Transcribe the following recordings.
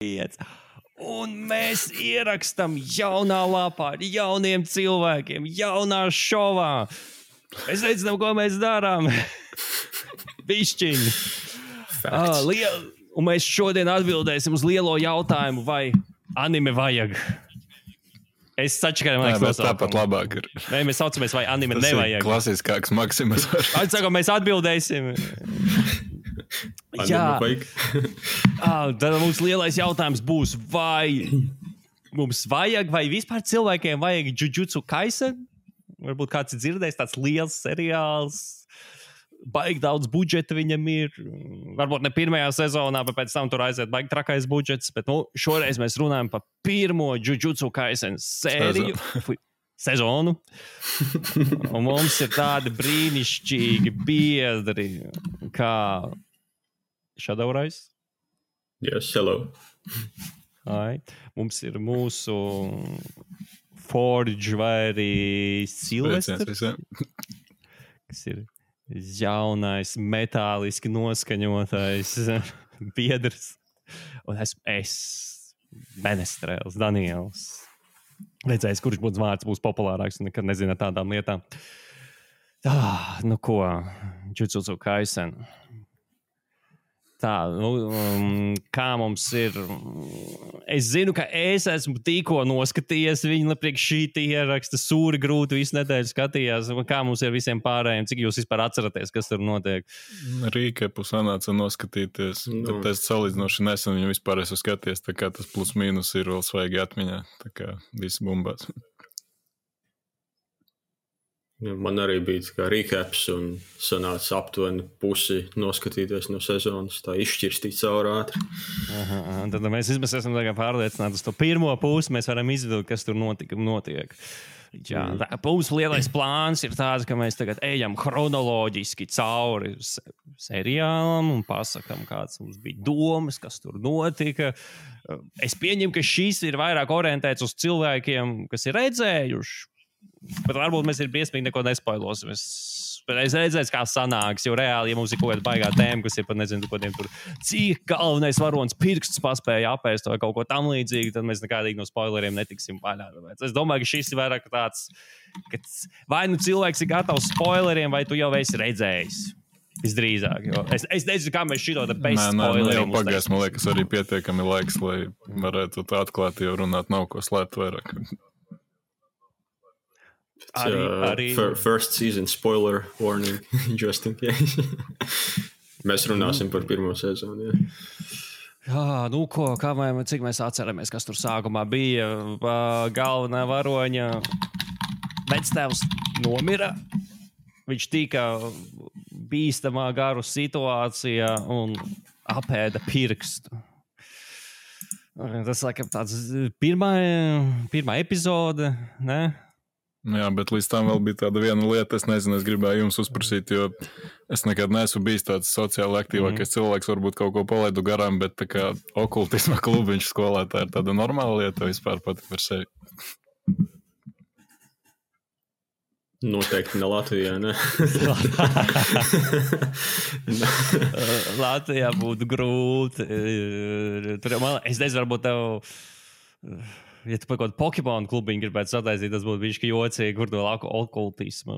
Un mēs ierakstam jaunā lapā ar jauniem cilvēkiem, jaunā šovā. Mēs nezinām, ko mēs darām. Bišķiņi. Un mēs šodien atbildēsim uz lielo jautājumu, vai anime vajag. Es sačakarēju, man liekas, tāpat labāk ir. Nē, mēs saucamies, vai anime tas nevajag. Tas ir klasiskāks Maksimas. Atsakām, mēs atbildēsim. Jā. Tad mums lielais jautājums būs, vai mums vajag, vai vispār cilvēkiem vajag Jujutsu Kaisen? Varbūt kāds ir dzirdējis, tāds liels seriāls, baigi daudz budžeta viņam ir. Varbūt ne pirmajā sezonā, bet pēc tam tur aiziet baigi trakais budžets. Bet šoreiz mēs runājam par pirmo Jujutsu Kaisen sēriju. Sezonu. Un mums ir tādi brīnišķīgi biedri, kā Shadow Rise. Yes, hello. Mums ir mūsu Forge vai arī Silvestrs, kas ir jaunais, metāliski noskaņotais biedrs. Un es Menestrēls, Daniels. Redzējis, kurš būs vārds būs populārāks un nekad nezina tādām lietām. Nu ko, Jujutsu Kaisen. Tā, kā mums ir... Es zinu, ka es esmu tikko noskatījies viņu priekš šī ieraksta, sūri grūti visu nedēļu skatījās. Kā mums ir visiem pārējiem, cik jūs vispār atceraties, kas tur notiek? Rīkepu sanāca noskatīties, bet es salīdzinoši nesen viņu vispār esmu skatījies, tā kā tas plus mīnus ir vēl svaigi atmiņā, tā kā visi bumbās. Man arī bija tā kā recaps un sanāca aptuveni pusi noskatīties no sezonas, tā izšķirstīt caur ātri. Tad mēs esam pārliecināti uz to pirmo pusi, mēs varam izvilkt, kas tur notiek. Jā, mums lielais plāns ir tāds, ka mēs tagad ejam chronoloģiski cauri seriālam un pasakam, kāds mums bija domas, kas tur notika. Es pieņemu, ka šis ir vairāk orientēts uz cilvēkiem, kas ir redzējuši. Bet varbūt mēs ir briesmīgi neko nespoilosim. Es redzēju, kā sanāks, jo reāli, ja mums ir kaut kāda baigā tēma, kas ir pat nezinu, kodiem tur, cik galvenais varonis pirksts paspēja apēst vai kaut ko tam līdzīgi, tad mēs nekādīgi no spoileriem netiksim vaļā. Es domāju, ka šis ir vairāk tāds, ka vai nu cilvēks ir gatavs spoileriem, vai tu jau esi redzējis. Visdrīzāk, jo es nezinu, kā mēs šito bez spoileriem. Jau pagājis, man liekas, arī pietiekami laiks, lai varētu tā atklāt, jo runāt nav ko slēpt vairāk. Arī. First season spoiler warning, just in case. Mēs runāsim par pirmo sezonu, Jā, nu ko, cik mēs atceramies, kas tur sākumā bija. Galvenā varoņa vectēvs nomira. Viņš tika bīstamā garu situācijā un apēda pirkstu. Tas, laikam, tāds pirmā epizode, ne? Jā, bet līdz tam vēl bija tāda viena lieta, es nezinu, es gribēju jums uzprasīt, jo es nekad neesmu bijis tāds sociāli aktīvākais cilvēks, varbūt kaut ko palaidu garām, bet tā kā okultisma klubiņš skolā, tā ir tāda normāla lieta vispār pati par sevi. Noteikti ne Latvijā, ne? Latvijā būtu grūti. Es nezinu, varbūt tev... Ja tu par kaut kādu Pokemon klubiņu gribētu sataisīt, tas būtu bišķi jocīgi, kur to okultismu.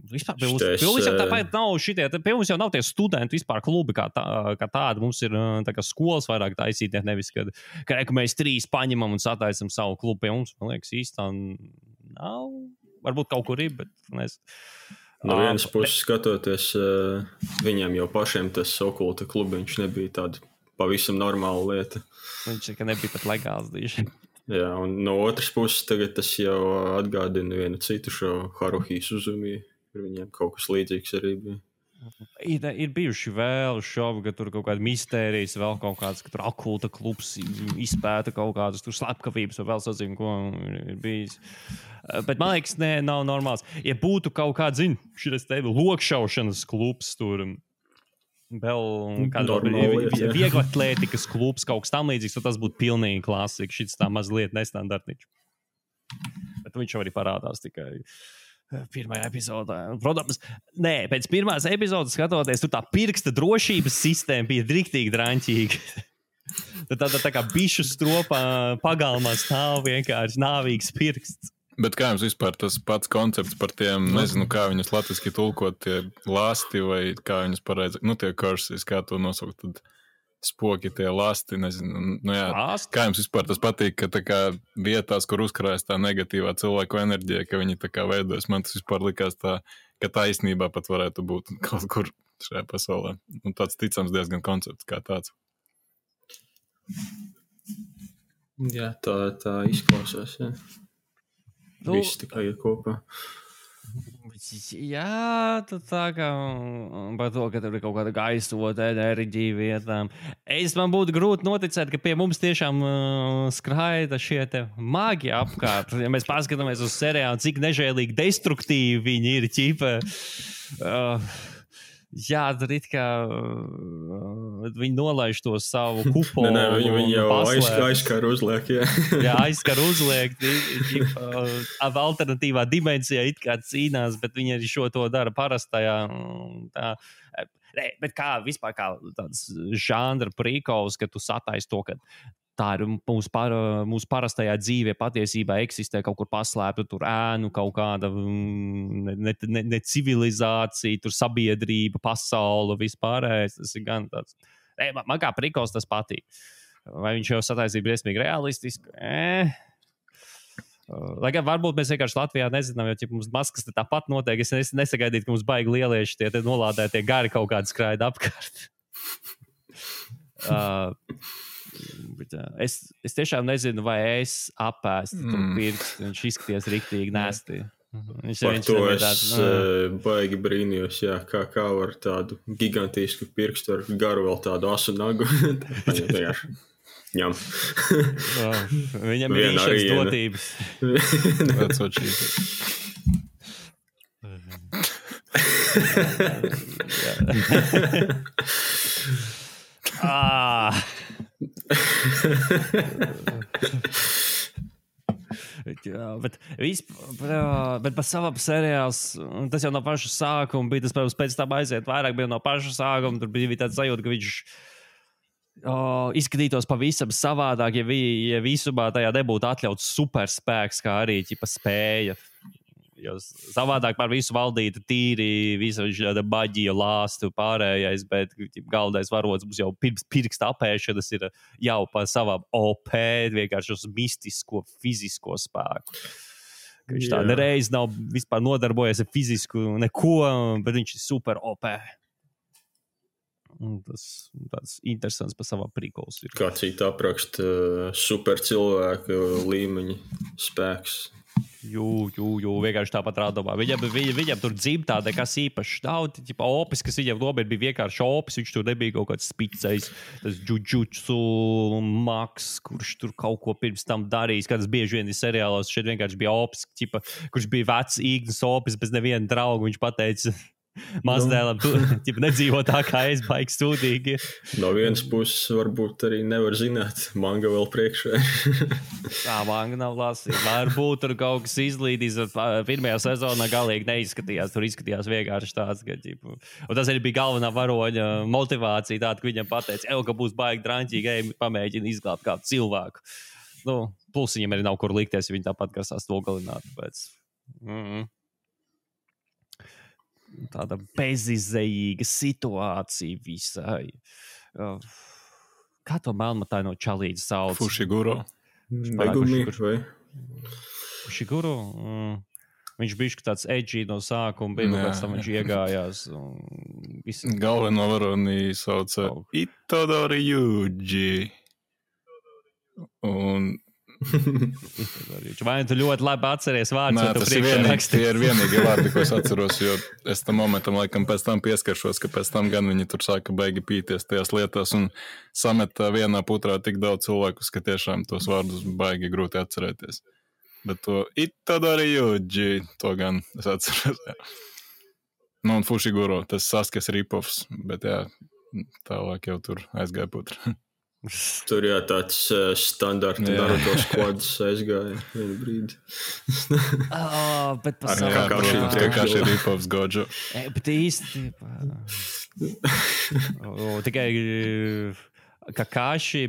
Vispār pie mums jau tāpēc nav šitie, pie mums jau nav tie studenti vispār klubi kā tādi. Mums ir tā kā skolas vairāk taisīt, nevis, kad mēs 3 paņemam un sataisam savu klubu pie mums. Man liekas, īstā nav. Varbūt kaut kur ir, bet nezinu. No vienas puses skatoties, viņiem jau pašiem tas okulta klubiņš nebija tāda pavisam normāla lieta. Viņš nebija pat legāls dīši. Jā, un no otras puses tagad tas jau atgādina vienu citu šo Haruhi Suzumi. Viņiem kaut kas līdzīgs arī bija. Ir bijuši vēl šovi, ka tur kaut kāda mistērijas, vēl kaut kāds, ka tur okulta klubs izpēta kaut kādas tur slepkavības, vai vēl sazinu, ko ir bijis. Bet man liekas, nav normāls. Ja būtu kaut kāds, šitas tevi lokšaušanas klubs tur, vēl kāda vieglatlētikas klubs, kaut kas tam līdzīgs, tad tas būtu pilnīgi klasika. Šis tā mazliet nestandartiņš. Bet viņš jau arī parādās tikai pirmajā epizodē. Protams, pēc pirmās epizodes skatoties, tur tā pirksta drošības sistēma bija riktīgi draņķīga. Tā kā bišu stropā pagalmā stāv vienkārši nāvīgs pirksts. Bet kā jums vispār tas pats koncepts par tiem, nezinu, kā viņus latviski tulkot, tie lasti vai kā viņus pareizi, tie curses, kā to nosaukt, tad spoki, tie lasti, nezinu, kā jums vispār tas patīk, ka tā kā vietās, kur uzkrājas tā negatīvā cilvēku enerģija, ka viņi tā kā veidojas, man tas vispār likās tā, ka tā īstenībā pat varētu būt kaut kur šajā pasaulē. Un tāds ticams diezgan koncepts kā tāds. Jā, tā izklausās, jā. Viss tikai ir kopā. Jā, tā kā par to, ka tur ir kaut kāda gaisota enerģija vietām. Man būtu grūti noticēt, ka pie mums tiešām skraida šie te magi apkārt. Ja mēs paskatāmies uz seriālu, cik nežēlīgi destruktīvi viņi ir, ķipa. Jā, tur it kā viņi nolaiž to savu kupolu. Nē, viņi jau aizskar uzliek, jā. Jā, aizskar uzliek. Alternatīvā dimensijā it kā cīnās, bet viņi arī šo to dara parastajā. Bet kā vispār kā tāds žanra prikols, ka tu sataisi to, ka tā ir mūsu parastajā dzīvē patiesībā eksistē kaut kur paslēpta tur ēnu, kaut kāda ne civilizācija, tur sabiedrība, pasaule, vispārējais. Tas ir gan tāds. Man kā prikols tas patīk. Vai viņš jau sataisīja briesmīgi realistiski? Lai gan varbūt mēs vienkārši Latvijā nezinām, jo mums maskas tāpat notiek. Es nesagaidītu, ka mums baigi lielieši tie nolādētie gari kaut kādi skraida apkārt. Bet, es tiešām nezinu, vai es apēstu to pirkstu. Viņš izskaties riktīgi nēstī. Par to es baigi brīnījos, jā, kā var tādu gigantisku pirkstu ar garu vēl tādu asu nagu. Ņem. Viņam ir īšas dotības. Bet par savam seriāls, tas jau no paša sākuma bija, tas, protams, pēc tam aiziet vairāk, bija no paša sākuma, tur bija tāds sajūta, ka viņš izskatītos pavisam savādāk, ja visumā tajā nebūtu atļauts superspēks, kā arī ķipa spēja. Jo savādāk par visu valdītu tīri, visu šāda baģija, lāstu pārējais, bet galvenais varots mums jau pirms pirksta apēšanas ir jau par savām OP, vienkārši uz mistisko, fizisko spēku. Viņš tā nereiz nav vispār nodarbojies ar fizisku neko, bet viņš ir super OP. Un tas tāds interesants par savām prikols ir. Kā cita apraksta super cilvēka līmeņa spēks. Jū, vienkārši tāpat rādumā. Viņam tur dzimtā nekas īpašs nav. Opis, kas viņam nomēr bija vienkārši opis, viņš tur nebija kaut kāds spicējs, tas jujutsu maks, kurš tur kaut ko pirms tam darījis, kādas bieži vien ir seriālos. Šeit vienkārši bija opis, kurš bija vecs īgnas opis bez neviena drauga. Viņš pateica mazdēlam, tu nedzīvo tā kā es, baigi sūdīgi. No vienas puses varbūt arī nevar zināt, manga vēl priekšā. Tā manga nav lasīta. Varbūt tur kaut kas izlīdīs, pirmajā sezonā galīgi neizskatījās. Tur izskatījās vienkārši tāds, ka, un tas arī bija galvenā varoņa motivācija tāda, ka viņam pateica, ka būs baigi draņķīgi, pamēģina izglābt kādu cilvēku. Plus viņam arī nav kur likties, ja viņi tāpat grasās to galināt. Tāda bezizējīga situācija visai. Kā to melnmatāju no čalīdzi sauc? Fushiguro. Megumi, vai? Fushiguro? Viņš bija tāds edgy no sākuma, bija pēc tam viņš iegājās. Galveno varoni sauca Itadori Yuji. Un vai tu ļoti labi atceries vārds? Nē, tas ir vienīgi vārdi, ko es atceros, jo es tam momentam laikam pēc tam pieskaršos, ka pēc tam gan viņi tur sāka baigi pīties tajās lietās un sameta vienā putrā tik daudz cilvēkus, ka tiešām tos vārdus baigi grūti atcerēties. Bet to Itadori Yuji, to gan es atceros. Jā. Un Fushiguro, tas Sasuke ripovs, bet jā, tālāk jau tur aizgāja putra. Tur jā, tāds standarta Naruto skvads aizgāja vienu brīdi. Bet Kakashi ripovs Gojo. Bet īsti tikai Kakashi,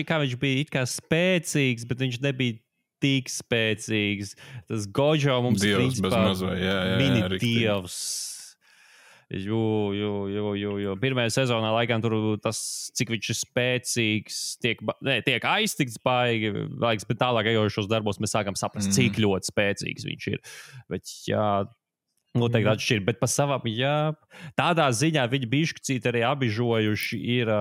kā viņš bija it kā spēcīgs, bet viņš nebija tik spēcīgs. Tas Gojo mums Dievs bez mazvai, jā, mini riktīgi. dievs. Jo. Pirmajā sezonā, laikam, tur tas, cik viņš ir spēcīgs, tiek aiztikts baigi, bet tālāk ejošos darbos mēs sākam saprast, cik ļoti spēcīgs viņš ir. Bet, jā, noteikti atšķir, bet pa savam, jā, tādā ziņā viņi bišķicīt arī abižojuši ir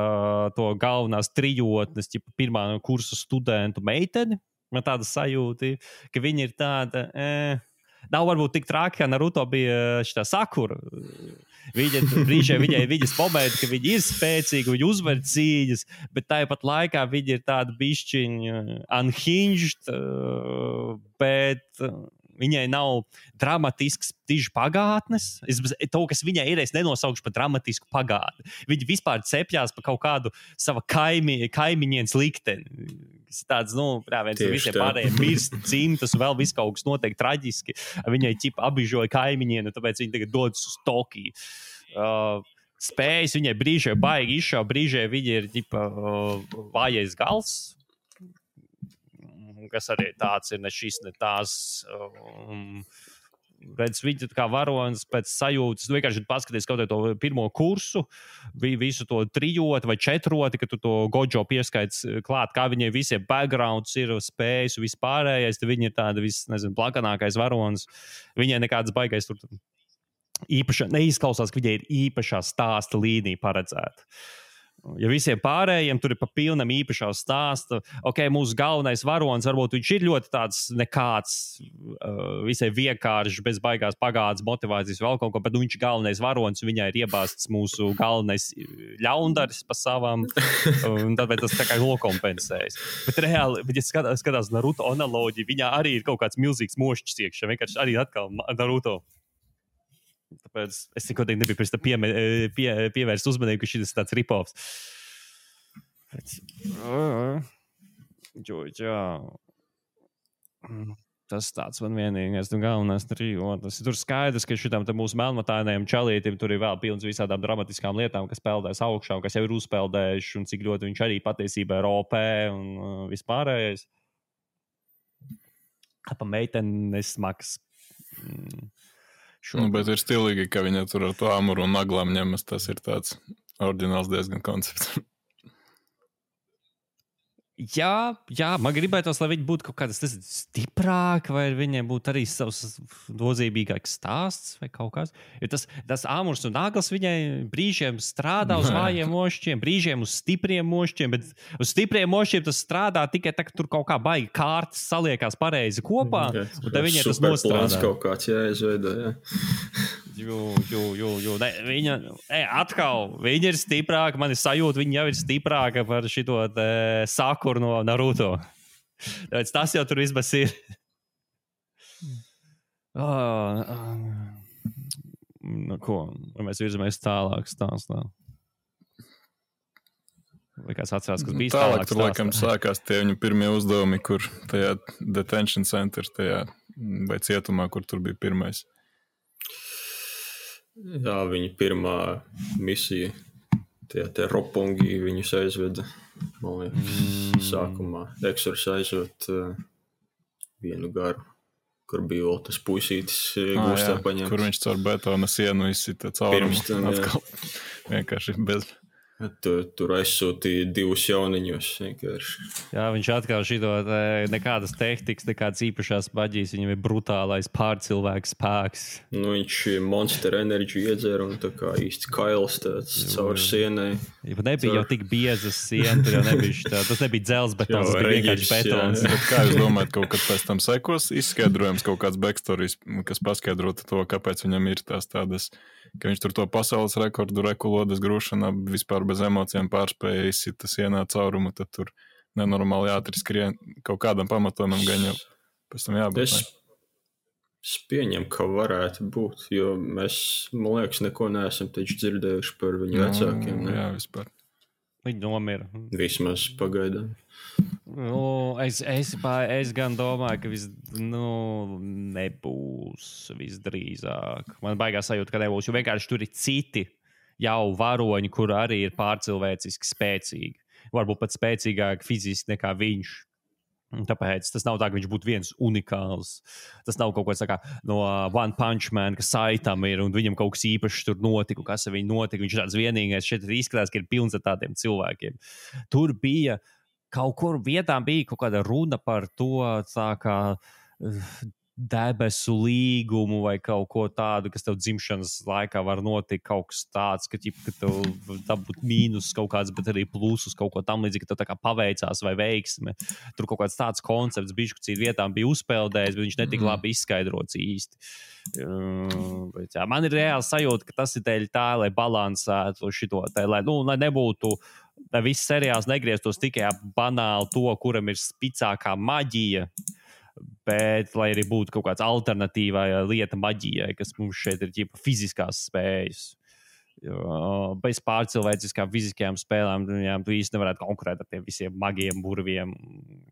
to galvenās trijotnes, pirmā kursa studentu meiteni. Man tāda sajūta, ka viņi ir tāda, nav varbūt tik traki, kā Naruto bija šitā Sakura. Brīžiem viņas momenti, ka viņi ir spēcīgi, viņi uzvar cīņas, bet tāpat laikā viņi ir tādi bišķiņi unhinged, bet viņai nav dramatisks tiži pagātnes. To, kas viņai ir, es nenosaukšu par dramatisku pagātni. Viņi vispār cepjās par kaut kādu sava kaimiņienes likteni. Tāds, viens visiem pārējiem mirst cimtas, vēl viss kaut kas notiek traģiski. Viņai abižoja kaimiņienu, tāpēc viņi tagad dodas uz Tokiju. Spējas viņai brīžiem baigi izšau, brīžiem viņa ir vājais gals, kas arī tāds ir, ne šis, ne tās. Redz, viņi kā varonis pēc sajūtas, vienkārši paskaties kaut to pirmo kursu, visu to trijoti vai četroti, ka tu to Gojo pieskaits klāt, kā viņiem visiem backgrounds ir, spējas, vispārējais, tad viņi ir tāda plakanākais varonis. Viņai nekādas baigais tur īpaša, neizklausās, ka viņai ir īpašā stāsta līnija paredzēta. Ja visiem pārējiem tur ir pa pilnam īpašā stāsta, mūsu galvenais varonis, varbūt viņš ir ļoti tāds nekāds, visai vienkāršs, bez baigās pagādas motivācijas vēl kaut ko, bet viņš ir galvenais varonis, viņai ir iebāzts mūsu galvenais ļaundaris pa savām, un tāpēc tas tā kā nokompensējas. Bet reāli, ja skatās Naruto analoģiju, viņā arī ir kaut kāds milzīgs mošķis iekšā, vienkārši arī atkal Naruto. Tāpēc es nekodīgi nebiju pirms tam pievērst uzmanību, ka šis ir tāds rip-offs. Jā. Tas tāds man vienīgais, galvenais trijotas. Tur skaidrs, ka šitam mūsu melnmatainajam čalītim tur ir vēl pilns visādām dramatiskām lietām, kas peldēs augšā un kas jau ir uzpeldējuši, un cik ļoti viņš arī patiesībā ir OP un vispārējais. Pa meiteni nesmaks. Bet ir stilīgi, ka viņa tur ar to amuru un naglām ņemas. Tas ir tāds oriģināls diezgan koncepts. Jā, man gribētos, lai viņi būtu kaut kādas stiprāki, vai viņiem būtu arī savs nozīmīgāks stāsts vai kaut kas. Jo tas āmurs un naglas viņai brīžiem strādā uz vājiem mošķiem, brīžiem uz stipriem mošķiem, bet uz stipriem mošķiem tas strādā tikai tā, ka tur kaut kā baigi kārtas saliekās pareizi kopā, un tad viņai tas nostrādā. Kaut kāds jāizveido, jā. Viņa ir stiprāka, man ir sajūta, viņa jau ir stiprāka par šito Sakuru no Naruto. Tāpēc tas jau tur vismaz ir. Ko? Vai mēs virzamies tālāk stāstā? Vai kāds atcerās, kas bija tālāk stāstā? Tur laikam sākās tie viņu pirmie uzdevumi, kur tajā detention center, tajā vai cietumā, kur tur bija pirmais. Jā, viņa pirmā misija, tie Roppongi viņus aizveda, man liekas, sākumā. Eksors aizved vienu garu, kur bija vēl tas puisītis gūstā paņemts. Kur viņš caur betona sienu izsita caurumu. Atkal vienkārši bez... Tur aizsūtīja 2 jauniņus vienkārši. Jā, viņš atkal šito nekādas tehnikas, nekādas īpašās maģijas, viņam ir brutālais pārcilvēks spēks. Viņš Monster Energy iedzēra un tā kā īsti kails tāds caur sienai. Ja nebija jau tik biezas siena, tur jau nebija tas nebija dzelzbetons, tas bija vienkārši betons. Bet kā jūs domājat, kaut kad pēc tam sekos izskaidrojums kaut kāds backstories, kas paskaidrota to, kāpēc viņam ir tās tādas, ka viņš tur to pasaules rekordu rekulodas grūšanā vispār bez emocijām pārspēja izsita sienā caurumu, tad tur nenormāli ātri skrien kaut kādam pamatojumam gan jau pēc tam jābūt. Es pieņemu, ka varētu būt, jo mēs, man liekas, neko neesam taču dzirdējuši par viņu vecākiem. Ne? Jā, vispār. Viņi nomira. Vismaz pagaidām. Es gan domāju, ka nebūs visdrīzāk. Man baigās sajūta, ka nebūs, jo vienkārši tur ir citi jau varoņi, kur arī ir pārcilvēciski spēcīgi. Varbūt pat spēcīgāk fiziski nekā viņš. Tāpēc tas nav tā, ka viņš būtu viens unikāls. Tas nav kaut kas no One Punch Man, kas Saitam ir un viņam kaut kas īpašs tur notika, kas ar viņu notika. Viņš ir tāds vienīgais. Šeit izskatās, ka ir pilns ar tādiem cilvēkiem. Tur bija kaut kur vietām bija kaut kāda runa par to, tā kā debesu līgumu vai kaut ko tādu, kas tev dzimšanas laikā var notikt, kaut kas tāds, ka tev dabūt mīnus kaut kāds, bet arī plusus kaut ko tam līdzīgi, ka tev tā kā paveicās vai veiksme. Tur kaut kāds tāds koncepts bišķi vietām bija uzpeldējis, bet viņš netika labi izskaidrots īsti. Bet, jā, man ir reāli sajūta, ka tas ir dēļ tā, lai balansētu šito, lai nebūtu, lai viss seriāls negrieztos tikai banāli to, kuram ir spicākā maģija, bet lai arī būtu kaut kāds alternatīvā lieta maģijai, kas mums šeit ir ģipa fiziskās spējas. Bez pārcilvēciskām fiziskajām spēlēm tu īsti nevarētu konkurēt ar tiem visiem magiem burviem,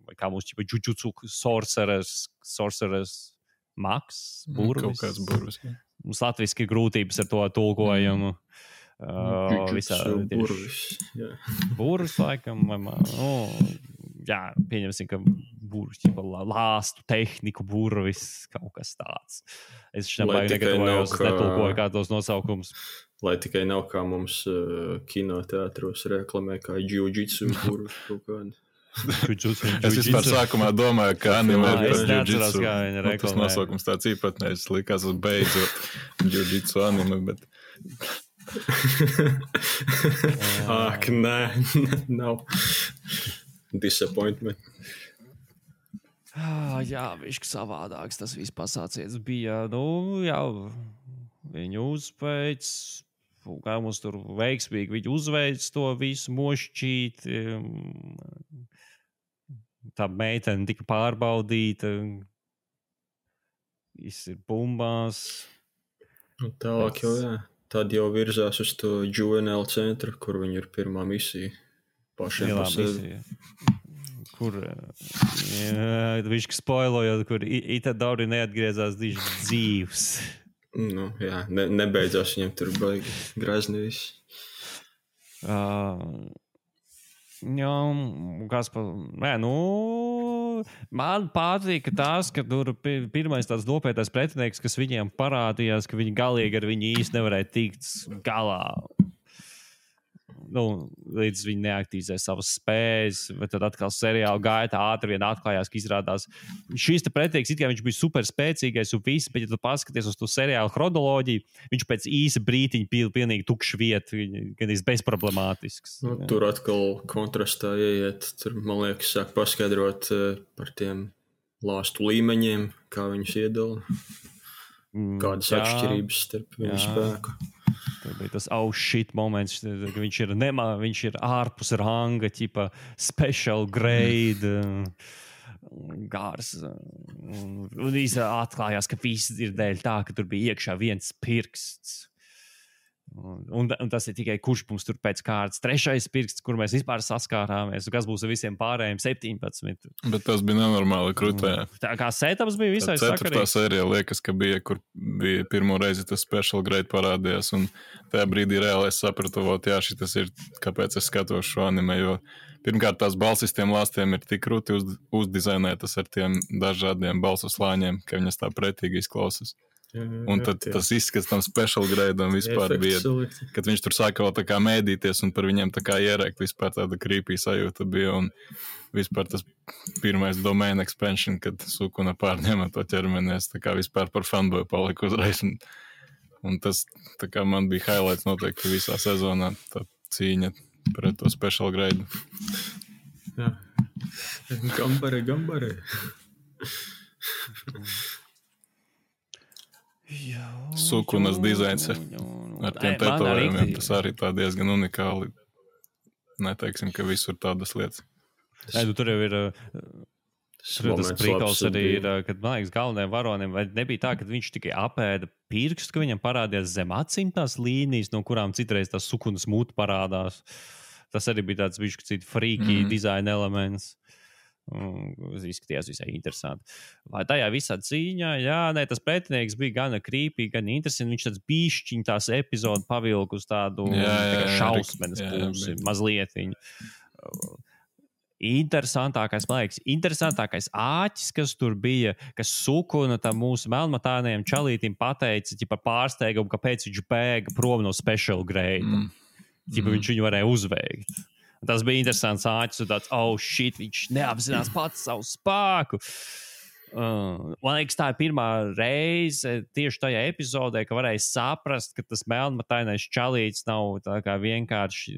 vai kā mums ģipa jujutsu sorcerers mags, burvis. Kaut kāds burvis, jā. Mums latviski ir grūtības ar to tulkojumu. Burvis, laikam, jā, pieņemsim, ka burvis, lāstu tehniku burvis, kaut kas tāds. Es šeit negatavojos, es netulkoju kādos nosaukums. Lai tikai nav kā mums kinoteātros reklamē, kā jiu-jitsu burvis kaut kādi. Es vispār sākumā domāju, ka anime ir par jiu-jitsu. Tas nosaukums tāds īpatnējs, likās uz beidzot jiu-jitsu anime, bet... Ak, nē, nav. Disappointment. Jā, viņš savādāks tas viss pasācies bija. Jā, viņu uzveic, kā mums tur veiksmīgi viņu uzveic to visu mošķīt. Tā meitene tika pārbaudīta. Viss ir bumbās. Un tālāk jau, jā. Tad jau virzās uz to Juvenile centru, kur viņi ir pirmā misija. Pašiem par sevi. Kur viņš spoilojot, kur Itadori neatgriezās dzīvs. Jā, nebeidzās viņam tur baigi grazni viss. Man patīk tas, ka tur pirmais tāds nopietnais pretinieks, kas viņiem parādījās, ka viņi galīgi ar viņu īsti nevarēja tikt galā. Līdz viņi neaktīzē savas spējas, bet tad atkal seriāla gaitā ātri vien atklājās, ka izrādās šīs te pretinieks, it kā viņš bija super spēcīgais un viss, bet ja tu paskaties uz to seriāla chronoloģiju, viņš pēc īsa brītiņa pilnīgi tukšs vieta, gan bezproblemātisks. Tur atkal kontrastā ieiet, tur, man liekas, sāk paskaidrot par tiem lāstu līmeņiem, kā viņus iedala, kādas atšķirības starp viņu spēku. Tur bija tas shit moments, ka viņš ir ārpus ranga, ķipa special grade, gārs. Un atklājās, ka viss ir dēļ tā, ka tur bija iekšā viens pirksts. Un tas ir tikai kurš mums tur pēc kārtas trešais pirksts, kur mēs vispār saskārāmies, un kas būs ar visiem pārējiem 17. Bet tas bija nenormāli krutē. Tā kā setups bija visai sakarīgs. 4. sērija liekas, ka bija, kur bija pirmo reizi tas special grade parādījās, un tajā brīdī reāli es sapratu, jā, šitas ir, kāpēc es skatos šo anime, jo pirmkārt tās balsis tiem lāstiem ir tik krūti uzdizainētas ar tiem dažādiem balsu slāņiem, ka viņas tā pretīgi izklausas. Un tad tas izskats tam special grade un vispār bija, kad viņš tur sāka vēl tā kā mēdīties un par viņiem tā kā ierēkt, vispār tāda creepy sajūta bija un vispār tas pirmais domain expansion, kad Sukuna pārņēma to ķermeni, es tā kā vispār par fanboy paliku uzreiz un tas tā kā man bija highlights noteikti visā sezonā, tā cīņa pret to special grade. Jā, gambare. Sukunas dizains ar tiem tetovējumiem, tas arī tā diezgan unikāli. Neteiksim, ka visur tādas lietas. Tur jau ir tas prikals arī ir, kad, man liekas, galvenajiem varonim, vai nebija tā, ka viņš tikai apēda pirkstu, ka viņam parādījās zem acīm tās līnijas, no kurām citreiz tās Sukunas mūta parādās. Tas arī bija tāds bišķi freaky dizaina elements. Izskatījās visai interesanti. Vai tajā visā cīņā, tas pretinieks bija gan creepy, gan interesanti. Viņš tāds bišķiņ tās epizodu pavilku uz tādu šausmenes pusi, mazlietiņu. Interesantākais āķis, kas tur bija, kas Sukuna tam mūsu melnmatānajam čalītim pateica, ķipa pārsteigumu, kāpēc viņš bēga prom no special grade. Viņš viņu varēja uzveikt. Tas bija interesants āķis, un tāds, viņš neapzinās pats savu spēku. Man liekas, tā ir pirmā reize tieši tajā epizodē, ka varēja saprast, ka tas melnmatainais čalīts nav tā kā vienkārši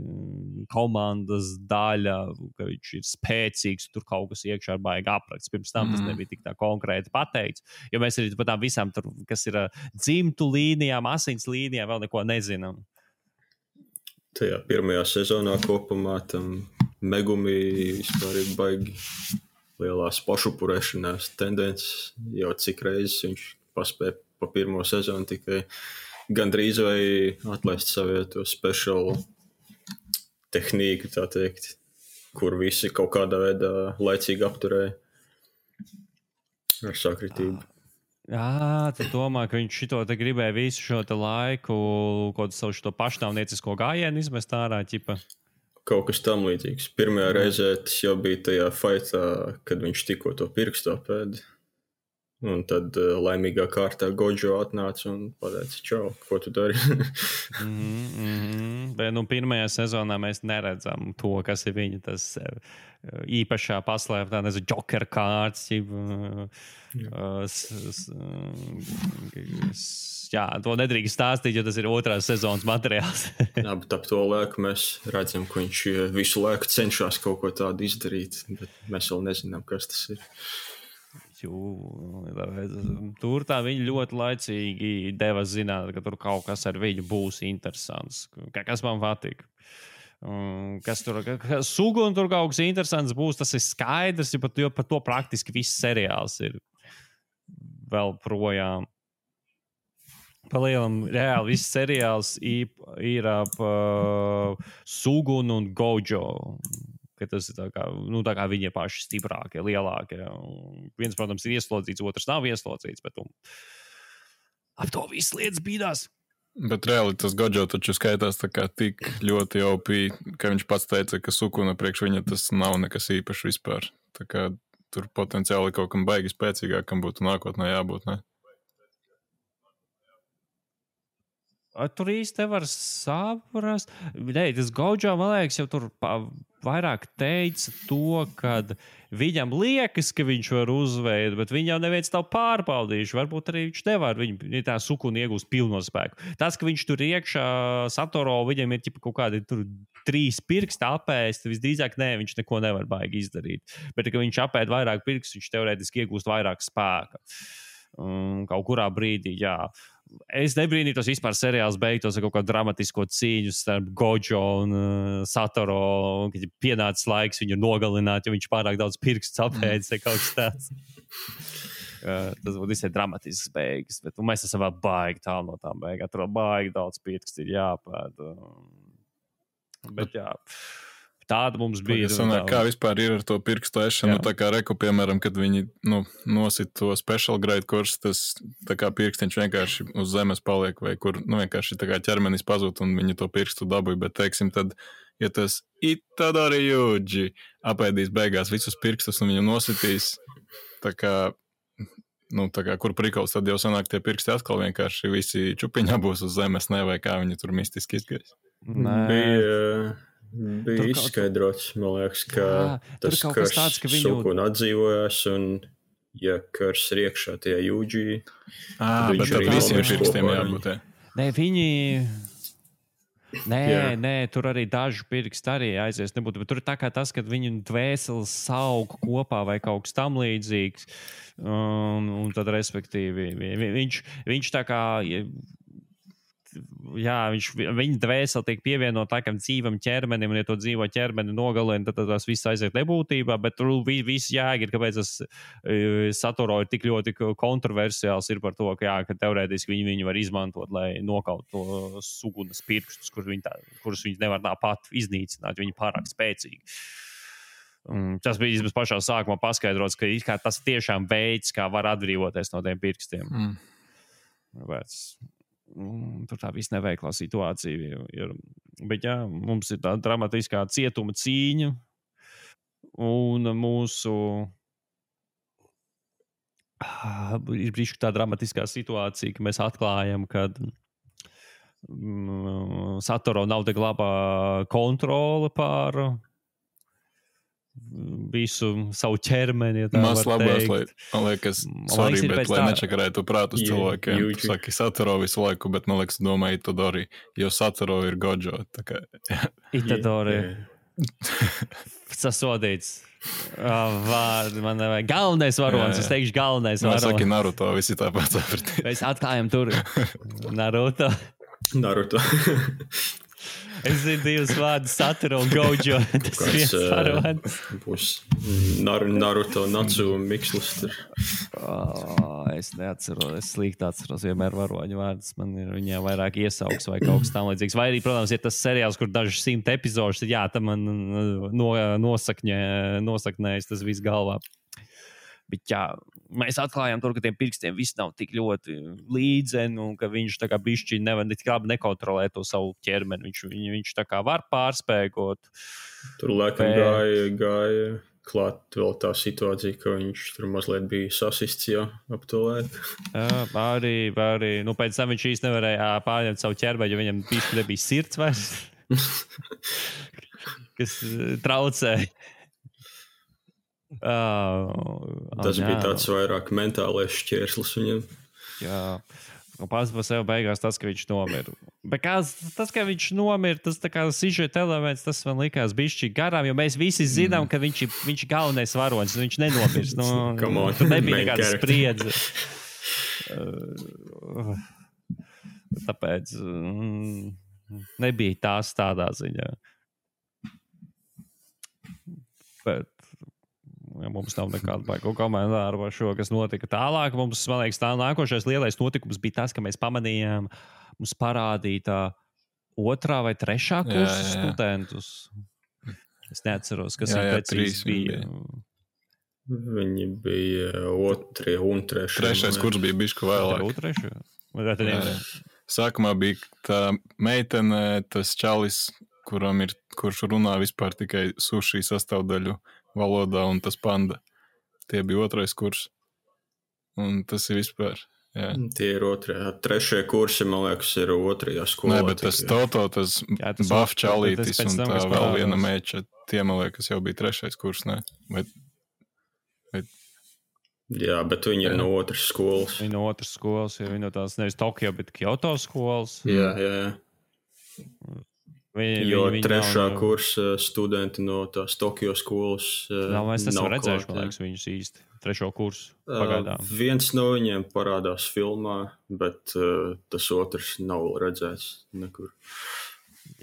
komandas daļa, ka viņš ir spēcīgs, tur kaut kas iekšā ir baigi aprakts. Pirms tam tas nebija tik tā konkrēti pateikts, jo mēs arī par tām visām, tur, kas ir dzimtu līnijām, asins līnijām, vēl neko nezinām. Tajā pirmajā sezonā kopumā tam Megumi vispār ir baigi lielās pašupurēšanās tendences, jau cik reizes viņš paspēja pa pirmo sezonu tikai gandrīz vai atlaist savu to special tehniku, tā teikt, kur visi kaut kādā veidā laicīgi apturēja ar sakritību. Tu domā, ka viņš šito te gribēja visu šo te laiku, kaut savu šo pašnāvniecisko gājienu izmest ārā, ķipa? Kaut kas tam līdzīgs. Pirmajā reizē tas jau bija tajā fightā, kad viņš tikko to pirkstu apēda. Un tad laimīgā kārtā Gojo atnāca un pateica, čau, ko tu dari? Bet pirmajā sezonā mēs neredzam to, kas ir viņa tas īpašā paslēptā, Joker kārts, to nedrīkst stāstīt, jo tas ir otrās sezonas materiāls. Bet ap to laiku mēs redzam, ka viņš visu laiku cenšas kaut ko tādu izdarīt, bet mēs vēl nezinām, kas tas ir. Tur tā viņi ļoti laicīgi deva zināt, ka tur kaut kas ar viņu būs interesants. Kas man patīk. Kas tur Sugun tur kaut kas interesants būs, tas ir skaidrs, jo par to praktiski viss seriāls ir vēl projām. Palielam, reāli viss seriāls ir ap Sugunu un Gojo. Ka tas ir tā kā viņi ir paši stiprākie, lielākie. Viens, protams, ir ieslodzīts, otrs nav ieslodzīts, bet ap to viss lietas bīdās. Bet reāli tas Gojo taču skaitās tā kā tik ļoti OP, ka viņš pats teica, ka Sukuna priekš viņa tas nav nekas īpašs vispār. Tā kā tur potenciāli kaut kam baigi spēcīgākam būtu nākotnē jābūt, ne? Tur īsti nevar saprast. Tas Gojo, man liekas, jau tur vairāk teica to, ka viņam liekas, ka viņš var uzveidot, bet viņam neviens nav pārbaudījuši. Varbūt arī viņš nevar. Viņa tā Sukuna iegūst pilno spēku. Tas, ka viņš tur iekšā Satoro, viņam ir kaut kādi tur 3 pirksti apēst, visdrīzāk viņš neko nevar baigi izdarīt. Bet, ka viņš apēd vairāk pirkstu, viņš teorētiski iegūst vairāk spēka. Kaut kurā brīdī, Es nebrīnītos vispār seriāls beigtos ar kaut kādu dramatisko cīņu starp Gojo un Satoro, kad pienācis laiks viņu nogalināt, jo viņš pārāk daudz pirkstu apēdis vai kaut kas tāds. Tas būtu visai dramatisks beigas, bet mēs esam vēl baigi tālu no tām beigām. Tur baigi daudz pirkstu ir jāpēd. Bet tāda mums bija. Kā vispār ir ar to pirkstu ešanu? Tā kā reku, piemēram, kad viņi nosit to special grade kursu, tas tā kā pirkstiņš vienkārši uz zemes paliek, vai kur vienkārši tā kā ķermenis pazūd un viņi to pirkstu dabūja. Bet, teiksim, tad, ja tas Itadori Yuji apēdīs beigās visus pirkstus un viņu nositīs, tā kā, kur prikals, tad jau sanāk tie pirksti atkal vienkārši visi čupiņā būs uz zemes, vai kā viņi tur mistiski izgais. Bija izskaidrots, man liekas, ka tas kars Sukuna atdzīvojās un, ja kars ir iekšā tajā Yuji, bet tad visiem pirkstiem jābūt. Nē, tur arī daži pirksti arī aizies nebūtu, bet tur ir tā kā tas, kad viņu dvēseles saug kopā vai kaut kas tam līdzīgs, un tad respektīvi viņš tā kā... viņa dvēsele tiek pievienot tā kā dzīvam ķermenim, un ja to dzīvo ķermeni nogalina, tad tas viss aiziet nebūtībā, bet tur viss jēga ir, kāpēc tas Satoro ir tik ļoti kontroversiāls ir par to, ka teorētiski viņi var izmantot, lai nokaut to Sugunas pirkstus, kurus viņi nevar tāpat iznīcināt, viņi pārāk spēcīgi. Tas bija vismaz pašā sākumā paskaidrots, ka tas tiešām veids, kā var atbrīvoties no tiem pirkstiem. Tur tā viss neveiklā situācija ir. Bet jā, mums ir tā dramatiskā cietuma cīņa un mūsu ir brīžu tā dramatiskā situācija, ka mēs atklājam, ka Satoru nav tik labā kontrole pār visu savu ķermeni, ja tā Mas var labās, teikt. man liekas, sorry, ir bet pēc lai tā- nečakarētu prātus cilvēkiem. Jūči. Tu saki Satoru visu laiku, bet man liekas, domāju Itadori, jo Satoru ir Gojo. Tā kā, Itadori sasodīts. Vārdi man nevajag. Galvenais varonis, es teikšu galvenais man saki varonis. Naruto, visi tāpat sapratīs. Mēs atklājam tur Naruto. Naruto. Es zinu divus vārdus, Satoru un Gojo. Tas Kāds, viens varonis. Būs Naruto Natsu mikslis tur. Es neatceros, es slikti atceros vienmēr varoņu vārdus. Man ir viņiem vairāk iesauks vai kaut kas tam līdzīgs. Vai arī, protams, ir tas seriāls, kur daži 100 epizodus, tad jā, tam man nosaknējas tas viss galvā. Bet jā, mēs atklājām tur, ka tiem pirkstiem viss nav tik ļoti līdzeni un ka viņš tā kā bišķi nekontrolē to savu ķermeni. Viņš tā kā var pārspēkot. Tur laikam gāja klāt vēl tā situācija, ka viņš tur mazliet bija sasists jau ap to laiku. Arī. Nu, pēc tam viņš īsti nevarēja pārņemt savu ķermeni, jo viņam bišķi nebija sirds vairs. Kas traucēja. Tas bija tāds vairāk mentālais šķērslis viņam. Jā, un pats par sevi beigās tas, ka viņš nomira. Bet tas, ka viņš nomira, tas tā kā sižeta elements, tas man likās bišķi garām, jo mēs visi zinām, ka viņš ir galvenais varonis, un viņš nenomirs. Tur nebija nekāda spriedze. Tāpēc nebija tās tādā ziņā. Bet ja mums nav nekāda baigā komentāra par šo, kas notika tālāk. Mums, man liekas, tā nākošais lielais notikums bija tas, ka mēs pamanījām, mums parādīja otrā vai trešā kursa studentus. Es neatceros, kas viņi precīzi bija. Viņi bija otrie un trešie. Trešais kurs bija bišku vēlāk. Sākumā bija tā meitene, tas čalis, kurš runā vispār tikai sushi sastāvdaļu valodā, un tas panda. Tie bija otrais kurs. Un tas ir vispār. Jā. Tie ir otrie. Trešie kursi, man liekas, ir otrajā skolā. Nē, bet tas Toto, tas Baf čalītis un tā vēl viena meča, tie, man liekas, jau bija trešais kurs, ne? Jā, bet viņi ir no otras skolas. Viņi no otras skolas, jo viņi no tās nevis Tokio, bet Kyoto skolas. Jā. Jo trešā kursa studenti no tās Tokio skolas mēs esam redzējuši, man liekas, viņus īsti. Trešo kursu pagaidām. Viens no viņiem parādās filmā, bet tas otrs nav redzēts nekur.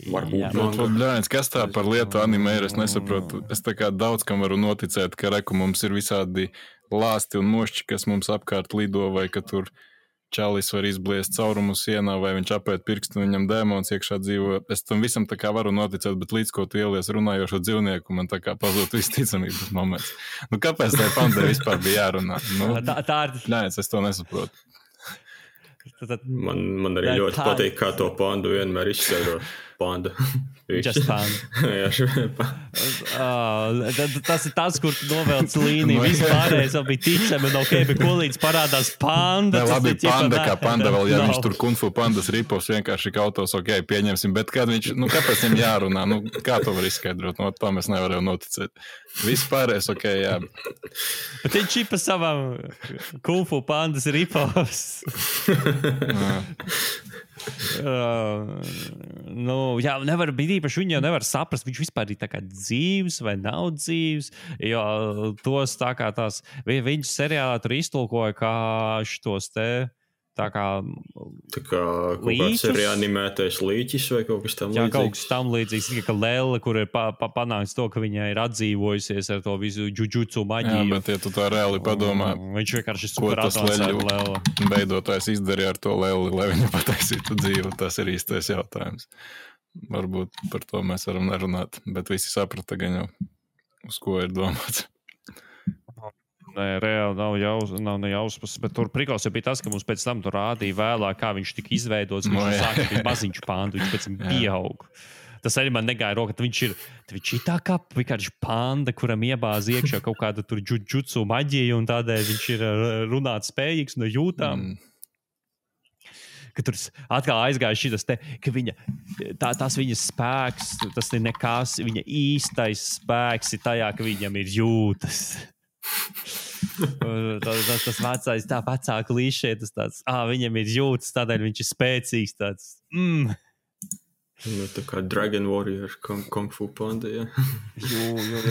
Varbūt. Kas tā par lietu anime ir? Es nesaprotu. Es tā kā daudz kam varu noticēt, ka mums ir visādi lāsti un mošķi, kas mums apkārt lido, vai ka tur čalis var izbliest caurumu sienā, vai viņš apēt pirkstu, viņam dēmons iekšā dzīvo. Es tam visam tā kā varu noticēt, bet līdz ko tu ielies runājošo dzīvnieku, man tā kā pazūd visticamības moments. Nu, kāpēc tai pandai vispār bija jārunā? Nu, nē, es to nesaprotu. Man arī ļoti patīk, kā to pandu vienmēr izskaidro. Panda. Just panda. Tas ir tas, kur novelc līniju. Vispārējais vēl bija ticami, un ok, bet ko līdz parādās panda. Ne, labi, panda kā panda vēl, ja viņš tur kung fu pandas ripovs vienkārši kautos, ok, pieņemsim, bet kad viņš, kāpēc viņam jārunā? Kā to var izskaidrot? No to mēs nevaram noticēt. Vispārējais, ok, jā. Bet viņš ir pa savam kung fu pandas ripovs. Jā, nevar būt īpaši, viņi jau nevar saprast, viņš vispār ir tā kā dzīves vai nav dzīves, jo tos tā kā tās, viņus seriālā tur iztulkoja kā šitos te, tā kā kaut kāds reanimētais līķis vai kaut kas tam līdzīgs. Jā, kaut kas tam līdzīgs, tikai ka Lele, kur ir panāks to, ka viņa ir atdzīvojusies ar to visu džudžutsu maģiju. Jā, bet ja tu tā reāli padomā, viņš vienkārši ko tas Lele beidotājs izdarīja ar to Leli, lai viņa pataisītu dzīvu, tas ir īstais jautājums. Varbūt par to mēs varam nerunāt, bet visi saprata gan jau. uz ko ir domāts. Nē, reāli nav nejausmas, bet tur prikals jau bija tas, ka mums pēc tam tur rādīja vēlāk, kā viņš tika izveidots. Viņš sāka bija maziņš pāndu, viņš pēc tam pieaug. Tas arī man negāja roka, viņš ir tā kā vienkārši panda, kuram iebāz iekšā kaut kāda tur džudžutsu maģija, un tādēļ viņš ir runāt spējīgs no jūtām. Ka tur atkal aizgāja šitas te, ka tas viņas spēks, tas ir nekas, viņa īstais spēks ir tajā, ka viņam ir jūtas. tas vecais, tā vecā klīšē, tas tāds, viņam ir jūtas, tādēļ viņš ir spēcīgs tāds. Tā kā Dragon Warrior, Kung Fu Panda, jā.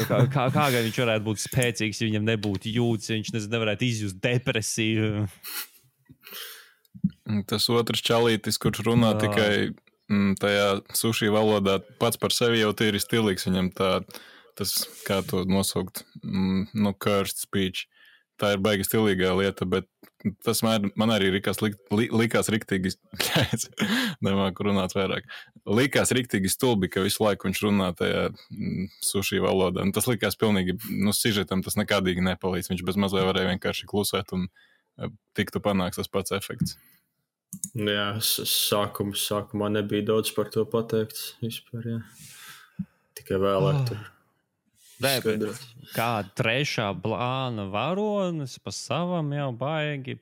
Kā gan viņš varētu būt spēcīgs, ja viņam nebūtu jūtas, ja viņš nevarētu izjust depresiju. Tas otrs čalītis, kurš runā tikai tajā sushi valodā, pats par sevi jau tīri stilīgs, viņam tas, kā to nosaukt, cursed speech. Tā ir baigi stilīgā lieta, bet tas man arī likās riktīgi, nemāku runāt vairāk, likās riktīgi stulbi, ka visu laiku viņš runā tajā sushi valodā. Tas likās pilnīgi, sižetam tas nekādīgi nepalīdz, viņš bez mazliet varēja vienkārši klusēt un tiktu panāks tas pats efekts. Jā, sākumā nebija daudz par to pateikts vispār, jā. Tikai vēlāk tur. Kā trešā plāna varonis pa savam jau baigi.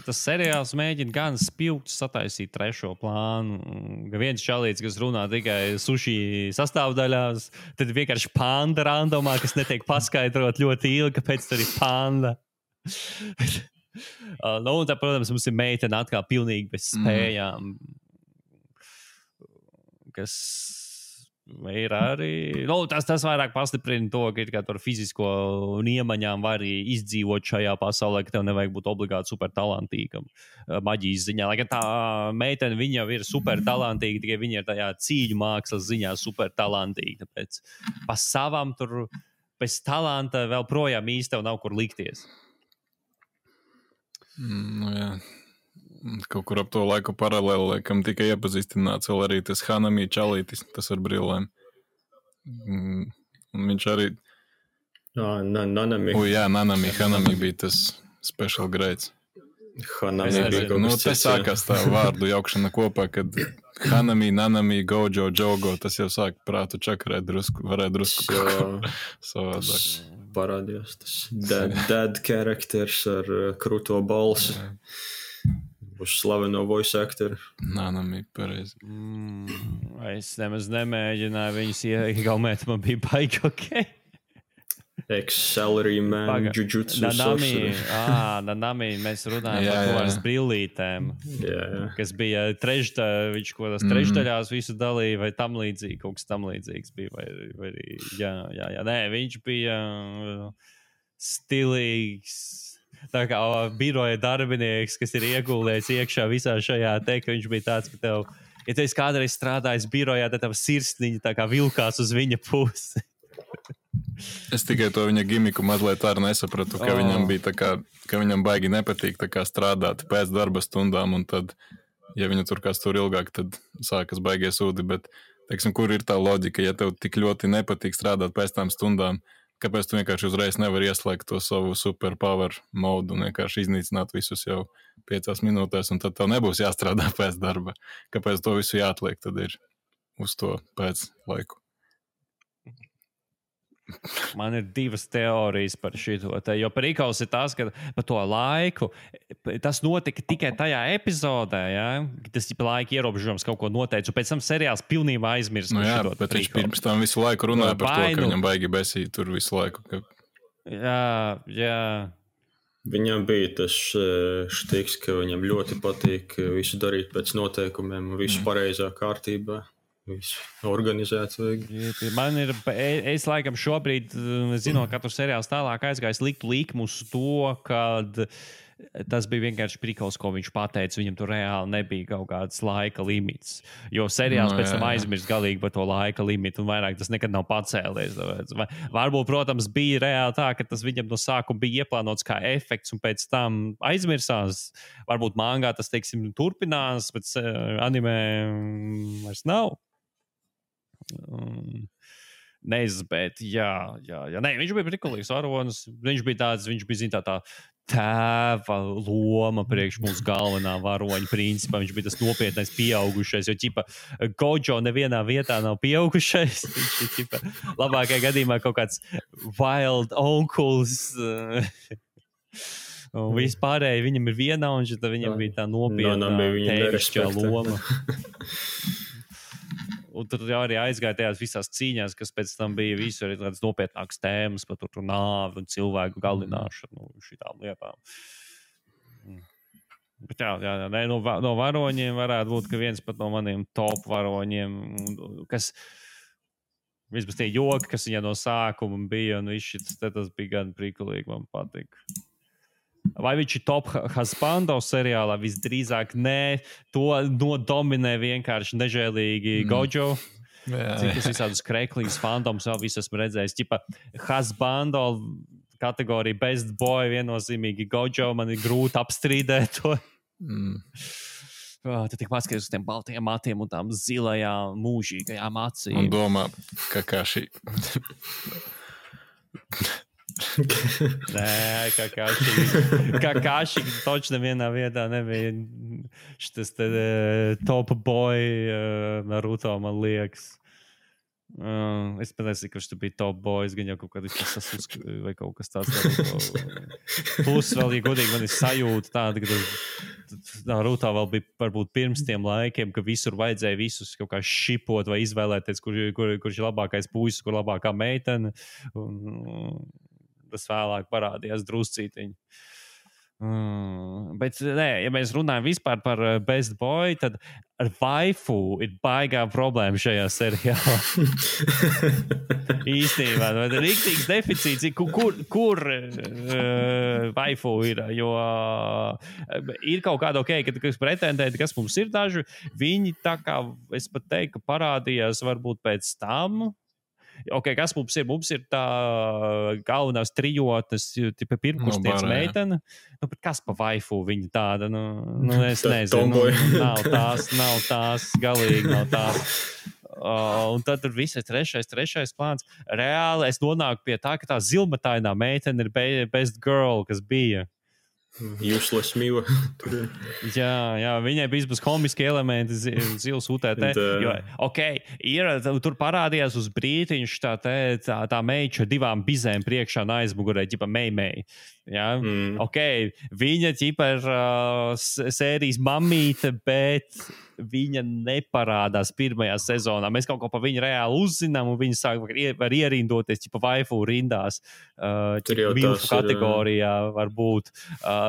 Tas seriāls mēģina gan spilgt sataisīt trešo plānu. Viens čalīts, kas runā tikai sushi sastāvdaļās, tad vienkārši panda randomā, kas netiek paskaidrot ļoti ilgi, kāpēc tur ir panda. Un tā, protams, mums ir meitene atkal pilnīgi bez spējām, kas ir arī, tas vairāk pastiprina to, ka ar fizisko iemaņām var izdzīvot šajā pasaulē, ka tev nevajag būt obligāti super talantīgam maģijas ziņā. Lai gan tā meitene, viņa jau ir super talantīga, tikai viņa ir tajā cīņu mākslas ziņā super talantīga. Tāpēc pa savam tur bez talanta vēl projām īsti tev nav kur likties. Jā. Kaut kur ap to laiku paralēli, laikam tika iepazīstināts vēl arī tas Hanami čalītis, tas ar brillēm. Viņš arī... Nanami. Hanami bija tas special grades. Hanami bija kaut kas cits. Tas sākās tā vārdu jaukšana kopā, kad Hanami, Nanami, Gojo, Jogo, tas jau sāk prātu čakarēt drusku, varētu drusku savādāk. Parādījās tas dead characters ar krūto balsi. Uz slaveno voice actoru. Nanami, pareizi. Es nemaz nemēģināju viņus iegaumēt, man bija baigi ok. Ex-salary man, jujutsu sorcerer. Nanami, mēs runājam par to ar brillītēm, kas bija viņš ko tas trešdaļās visu dalīja, vai tam līdzīgi, kaut kas tam līdzīgs bija, vai jā. Nē, viņš bija stilīgs. Tā kā biroja darbinieks, kas ir ieguldīts iekšā visā šajā ka viņš bija tāds, ka tev, ja tu esi kādreiz strādājis birojā, tad tev sirsniņa tā kā vilkās uz viņa pusi. Es tikai to viņa gimiku mazliet arī nesapratu, ka viņam bija tā kā, ka viņam baigi nepatīk tā kā strādāt pēc darba stundām, un tad, ja viņa tur kāds tur ilgāk, tad sākas baigie sūdi, bet, teiksim, kur ir tā loģika, ja tev tik ļoti nepatīk strādāt pēc tām stundām, kāpēc tu vienkārši uzreiz nevari ieslēgt to savu superpower modu un vienkārši iznīcināt visus jau 5 minūtēs, un tad tev nebūs jāstrādā pēc darba. Kāpēc to visu jāatliek, tad ir uz to pēc laiku. Man ir 2 teorijas par šito. Jo parīkals ir tas, ka par to laiku tas notika tikai tajā epizodē, ja? Tas ir laika ierobežojums kaut ko noteica, un pēc tam seriāls pilnībā aizmirst. Bet viņš pirms tam visu laiku runāja par to, ka viņam baigi besīt tur visu laiku. Jā. Viņam bija tas štiks, ka viņam ļoti patīk visu darīt pēc noteikumiem un visu pareizā kārtībā. Organizēts vajag. Man ir, es laikam šobrīd, zinot, ka katru seriāls tālāk aizgājis, liktu likumu uz to, kad tas bija vienkārši prikals, ko viņš pateica. Viņam tur reāli nebija kaut kāds laika limits. Jo seriāls pēc tam aizmirst galīgi par to laika limitu, un vairāk tas nekad nav pacēlies. Varbūt, protams, bija reāli tā, ka tas viņam no sākuma bija ieplānots kā efekts, un pēc tam aizmirsās. Varbūt mangā tas, teiksim, turpinās, bet anime vairs nav. neizbēt, jā. Nē, viņš bija prikulīgs varonis, viņš bija zin, tā tēva loma priekš mūsu galvenā varoņa principā. Viņš bija tas nopietnais pieaugušais, jo ķipa Gojo nevienā vietā nav pieaugušais. Viņš ir ķipa labākajā gadījumā kaut kāds wild uncles. Un vispārēji viņam ir viena, un tad viņam bija tā nopietna tēvišķā loma. Un tur arī aizgāja tajās visās cīņās, kas pēc tam bija visu arī tādas nopietnākas tēmas par tur nāvi un cilvēku galināšanu šitām lietām. Bet jā, no varoņiem varētu būt, ka viens pat no maniem top varoņiem, kas vismaz tie joki, kas viņa no sākuma bija, un tas bija gan prikulīgi, man patīk. Vai viņš ir top husbando seriālā? Visdrīzāk nē, to nodominē vienkārši nežēlīgi Gojo. Cik tas visādus kreklīgus fandomus vēl visu esmu redzējis. Ķipa husbando kategorija best boy viennozīmīgi Gojo, man ir grūti apstrīdēt to. Tu tik paskaties uz tiem baltajiem matiem un tām zilajām mūžīgajām acīm. Un domā, ka šī... Nē, Kakashi toči nevienā vietā nebija šitas top boy Naruto, man liekas. Es pateicu, ka viņš bija top boys, gan jau kaut kādā vai kaut kas tāds. Plus vēl, ja godīgi, man ir sajūta tāda, ka Naruto vēl bija varbūt pirms tiem laikiem, ka visur vajadzēja visus kaut kā šipot vai izvēlēties, kurš ir labākais puisis, kur labākā meitene. Tas vēlāk parādījās druscītiņi. Bet, nē, ja mēs runājam vispār par best boy, tad ar waifu ir baigā problēma šajā seriālā. Īstenībā, vai ir rīktīgs deficīts, kur waifu ir, jo ir kaut kāda kas pretendēti, kas mums ir daži, viņi tā kā, es pat teiktu, ka parādījās varbūt pēc tam. Kas mums ir? Mums ir tā galvenās trijotnes, tipa pirmkurstienes meitene. Bet kas pa waifu viņa tāda? Es nezinu. Nav tās, galīgi nav tās. Un tad tur viss ir trešais plāns. Reāli es nonāku pie tā, ka tā zilmatainā meitene ir best girl, kas bija. Useless Miva. jā, viņai bija bez komiski elementi zils UTT. Tur parādījās uz brītiņš tā meiča divām bizēm priekšā un aizmugurē, ģipa Meimei. Ja? Viņa ģipa ir sērijas mamīte, bet viņa neparādās pirmajā sezonā. Mēs kaut ko par viņu reāli uzzinām, un viņa sāk var ierindoties ģipa waifu rindās. Milfu kategorijā varbūt.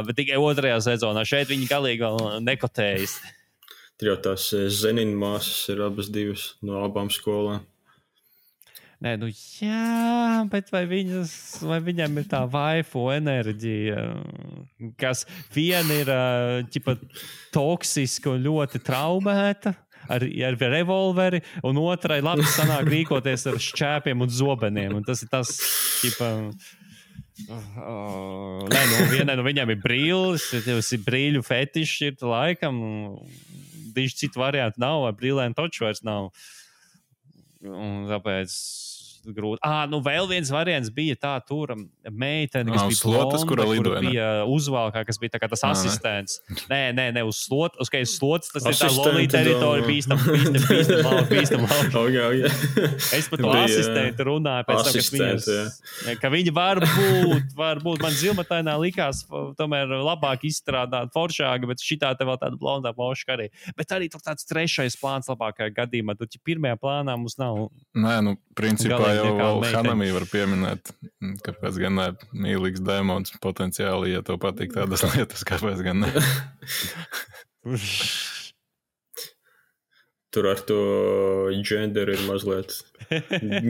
Bet tikai otrajā sezonā. Šeit viņi galīgi vēl nekotējas. Tur jau tās Zenin māsas ir abas divas no abām skolām. Nē, jā, bet vai viņam ir tā waifu enerģija, kas viena ir ķipa toksiska un ļoti traumēta ar revolveri, un otrai labi sanāk rīkoties ar šķēpiem un zobeniem. Un tas ir tas, ķipa... vienai no viņiem ir brīlis, tas ir brīļu fetiši, ir laikam, diži citu variantu nav, vai brīlēm toču vairs nav. Un tāpēc grūti. Vēl viens variants bija tā tur meitene, kas bija slotas, blonda, kura bija uzvalkā, kas bija tā kā tas asistents. Nē, uz slotas, tas ir tā lolī teritorija, bīstam lauki. Es par to asistentu runāju pēc tam, ka viņi varbūt man zilmatainā likās tomēr labāk izstrādāt foršāka, bet šitā te vēl tāda blondā moška arī. Bet arī tur tāds trešais plāns labākajā gadījumā. Tur pirmajā plānā mums nav. Nē, principā jau vēl Hanami var pieminēt, kāpēc gan ne mīlīgs demons potenciāli, ja tev patīk tādas lietas, kāpēc gan ne. Tur ar to genderu ir mazliet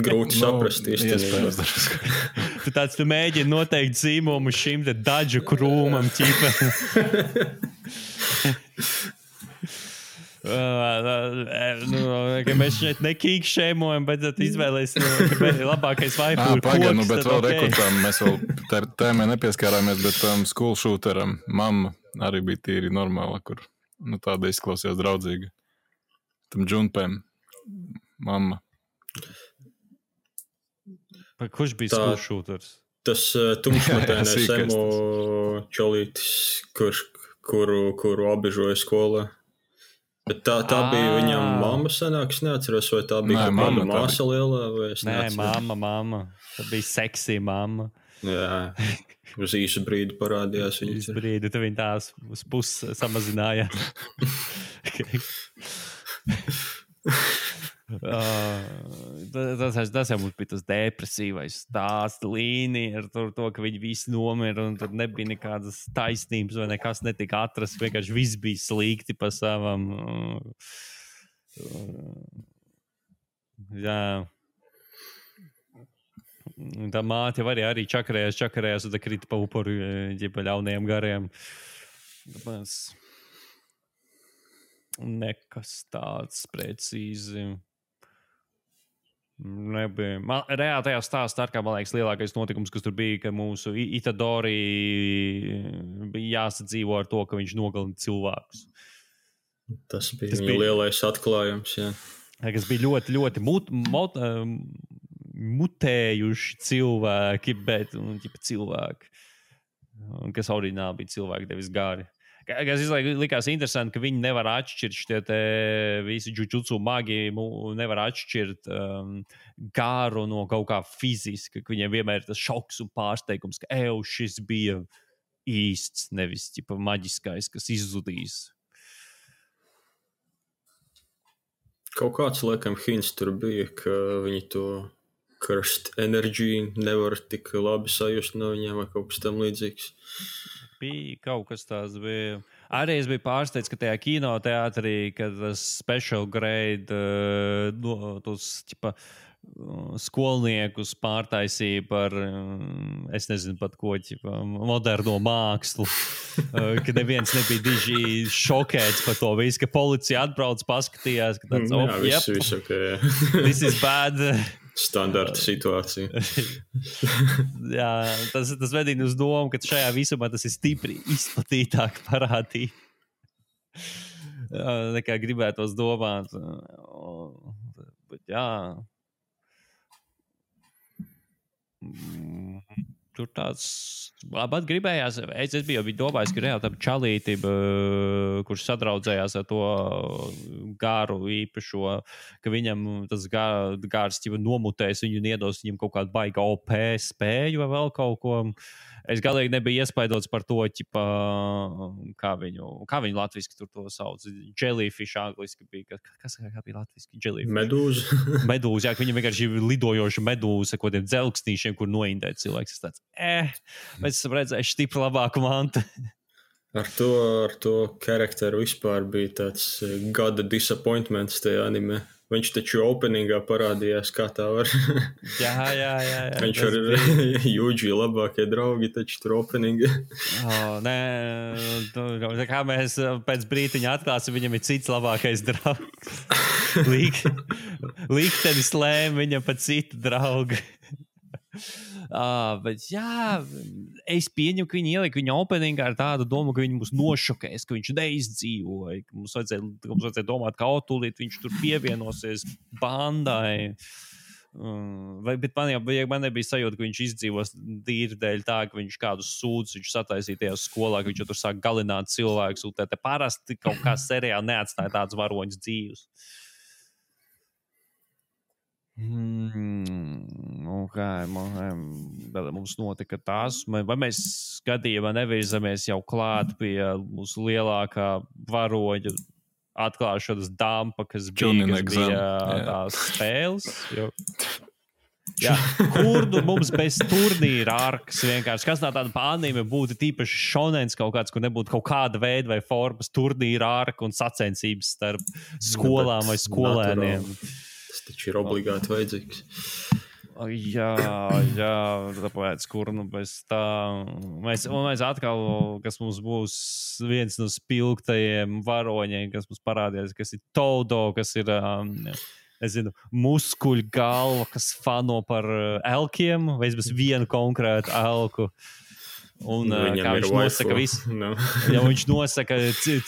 grūti saprast īstenībā. Tu mēģini noteikt zīmumu šim te daģu krūmam ķipa. Mēs šeit nekīgi šēmojam, bet izvēlēs labākais waifu ir koks. Bet vēl rekrutām mēs vēl tēmē nepieskārāmies, bet school shooteram mamma arī bija tīri normāla, kur tāda izklausījās draudzīga. Tam Junpēm mamma. Kurš bija school shooters? Tas tumšmatainais emo čolītis, kuru apbežoja skolā. Bet tā bija viņam mamma sanāks, neatceros, vai tā bija kāda māsa lielā, vai es neatceros. Nē, mamma. Tā bija seksī mamma. Jā, uz īsu brīdi parādījās viņa. Īsu brīdi, tad viņa tās uz pusi samazināja. Tas jau mums bija tas depresīvais stāsts līnija ar to, ka viņi visi nomira un tur nebija nekādas taisnības vai nekas netika atrasts, vienkārši viss bija slikti pa savam. Jā. Tā māte jau arī čakarējās un tā krita pa upuru ģipa ļaunajiem gariem. Tāpēc nekas tāds precīzi nebija. Reāli tajā stāstā, kā man liekas, lielākais notikums, kas tur bija, ka mūsu Itadori bija jāsadzīvo ar to, ka viņš nogalina cilvēkus. Tas bija viņa lielais atklājums, jā. Kas bija ļoti, ļoti mutējuši cilvēki, bet cilvēki, kas oriģināli bija cilvēki, devis gari. Kas likās interesanti, ka viņi nevar atšķirt šitie visi džudžutsu magi, nevar atšķirt garu no kaut kā fiziska, ka viņiem vienmēr ir tas šoks un pārsteigums, ka šis bija īsts, nevis maģiskais, kas izzudīs. Kaut kāds, laikam, hints tur bija, ka viņi to cursed energy nevar tik labi sajust no viņiem vai kaut kas tam līdzīgs. Bija kaut kas tāds bija. Arī es biju pārsteigts, ka tajā kinoteātrī, kad tas special grade tos skolniekus pārtaisīja par, es nezinu pat ko, moderno mākslu, ka neviens nebija diži šokēts par to visu, ka policija atbrauc, paskatījās, ka tāds, viss okay. This is bad. Standarta situācija. Jā, tas vedina uz domu, ka šajā visumā tas ir stipri izplatītāk parādīt. Nekā gribētos domāt. Bet jā. Tur tāds labāk gribējās. Es biju domājis, ka reāli tam čalīti, kurš sadraudzējās ar to garu īpašo, ka viņam tas gārs nomutēs viņu un iedos viņam kaut kādu baiga OP spēju vai vēl kaut ko. Es galīgi nebiju iespaidots par to, kā viņu latviski tur to sauc. Jellyfish angliski bija. Kas bija latviski? Jellyfish. Medūza. Medūza, jā, ka viņam vienkārši ir lidojoša medūza ar kodiem dzelksnīšiem, kur noindēt cilvēks. Es tāds, bet esam redzējuši stipri labāku mantu. Ar to karakteru vispār bija tāds gada disappointments tajā anime. Viņš taču openingā parādījās, kā tā var. Jā. Viņš ar Jūģi labākie draugi, taču tur openingā. Nē, kā mēs pēc brītiņa atklāsim, viņam ir cits labākais draugs. Liktenis lēma viņam pa citu draugu. Bet jā, es pieņemu, ka viņi ielika viņa openingā ar tādu domu, ka viņi mūs nošokēs, ka viņš neizdzīvoja, ka mums vajadzēja domāt, ka tūlīt viņš tur pievienosies bandai. Bet man nebija sajūta, ka viņš izdzīvos tīri dēļ tā, ka viņš kādus sūdus viņš sataisīja tajā skolā, ka viņš tur sāk galināt cilvēkus, un te parasti kaut kā seriāli neatstāja tādus varoņus dzīvus. Mums notika tās, vai mēs gadījumā nevirzamies jau klāt pie mūsu lielākā varoņa atklāšanas dampa, kas bija tās spēles. Jā, kurdu mums bez turnīra arkas vienkārši. Kas tā tāda anime būtu tīpaši šonens kaut kāds, kur nebūtu kaut kāda veida vai formas turnīra arka un sacensības starp skolām vai skolēniem. Tas taču ir obligāti vajadzīgs. Jā, tāpēc, kur bez tā. Mēs atkal, kas mums būs viens no spilgtajiem varoņiem, kas mums parādījās, kas ir Todo, kas ir, nezinu, muskuļu galva, kas fano par elkiem, vai bez vienu konkrētu elku. Un kā viņš nosaka visu. No. Ja viņš nosaka